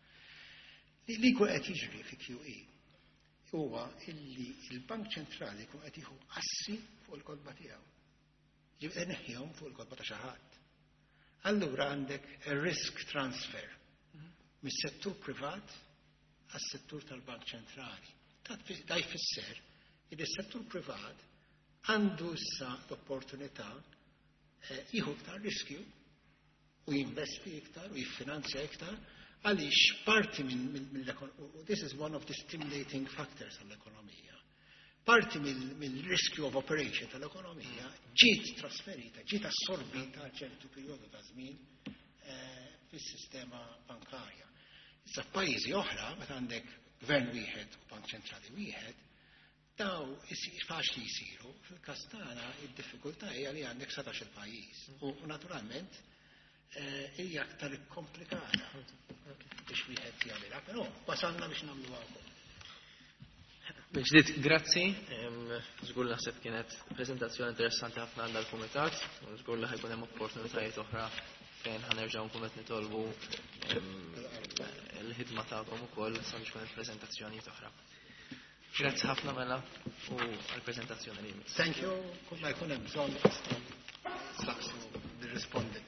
Li li jkun qed jiġri fi Q E huwa illi il-Bank Ċentrali jkun qed jieħu assi fuq il-kotba tiegħu. Ġifieri neħħihom fuq il-kotba ta' xi ħadd. Allura għandek a risk transfer mis-settur privat għas-settur tal-Bank Ċentrali. Da jfisser li s-settur privat għandu issa l-opportunità eh, jieħu iktar riskju u jinvesti iktar u jiffinanzja iktar għaliex parti minn mill-ekonomija, this is one of the stimulating factors għall-ekonomija. Parti mill-riskju of operation tal-ekonomija ġiet trasferita, ġiet assorbita għal ċertu perjodu ta' żmien eh, fis-sistema bankarja. Issa f'pajjiżi oħra, meta għandek gvern wieħed u bank ċentrali wieħed, daw faċli jisiru. Fil-każ tagħna id-diffikultà hija li għandek sbatax il-pajjiż. U naturalment eh, hija aktar komplikata biex wieħed jagħmilha, però wasalna biex nagħmluha wkoll. Ġdid, grazzi. Żgur naħseb kienet prezentazzjoni interessanti ħafna għal dal-kumitat. Żgur li ħa jkun hemm opportunitajiet oħra fejn ħa nerġgħu nkunu qed nitolbu l-ħidma tagħkom ukoll sabiex ikun hemm oħra. Grazzi ħafna mela u għall-preżentazzjoni li jmiss. Thank you. Kull ma jkun hemm bżonn staqsu nirrispondi.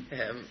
Um,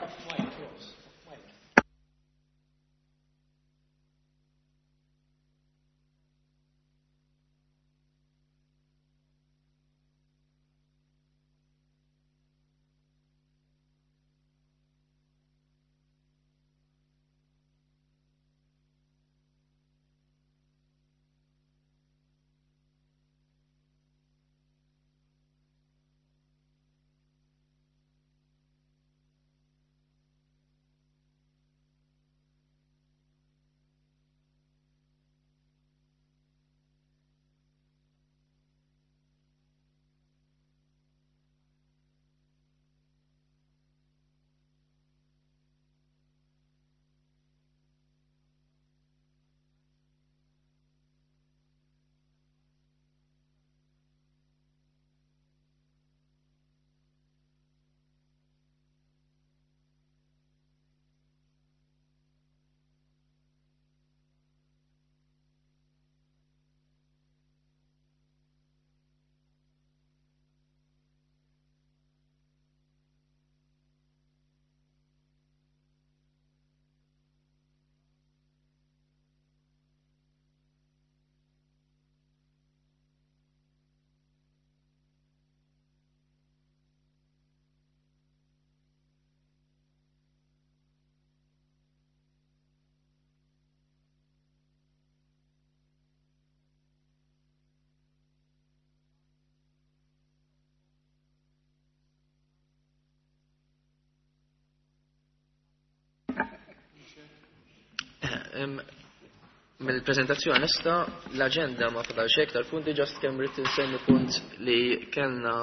Mill-prezentazzjoni nista l-agenda ma fadal xejn iktar punti, just kemm rrid insemmi punt li kellna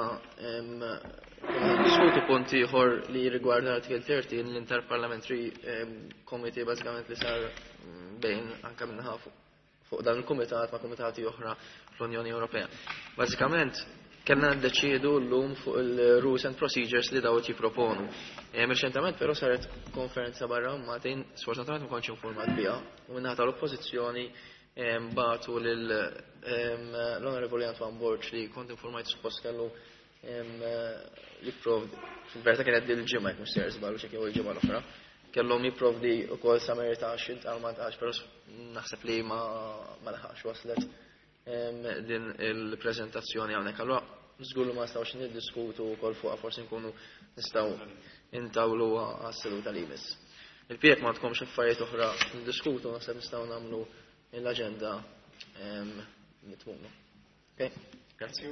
diskutu punt ieħor li rigwarda l-artikel tletin, l-Interparliamentary Committee, bażikament li sar bejn anke minnaħa fuq dan il-kumitat ma' kumitati oħra fl-Unjoni Ewropea. Bażikament kellna ndeċiedu llum fuq il-rules and procedures li dawt jipproponu. Reċentament però saret konferenza barra Maltin, sfortunatament ma kontx informat biha, u minnaħa tal-oppożizzjoni bagħtu lil l-Onorevoli Antoine Borg li kont informajt suppost kellu jipprovdi, fil-verità kienet dil-ġimgħa jekk mhux sejjer żball u xi jew il-ġimgħa l-oħra, kellhom jipprovdi wkoll summary ta' x'intqal ma ntqalx, però naħseb li ma laħaqx waslet din il-preżentazzjoni hawnhekk. Allura żgur ma nistgħux niddiskutu wkoll fuqha, forsi nkunu nistgħu intawlu għas-seduta li jmiss. Il-pjek ma tkomx affarijiet oħra niddiskutu, naħseb nistgħu nagħmlu l-aġenda mitmuma. Okay, grazzi.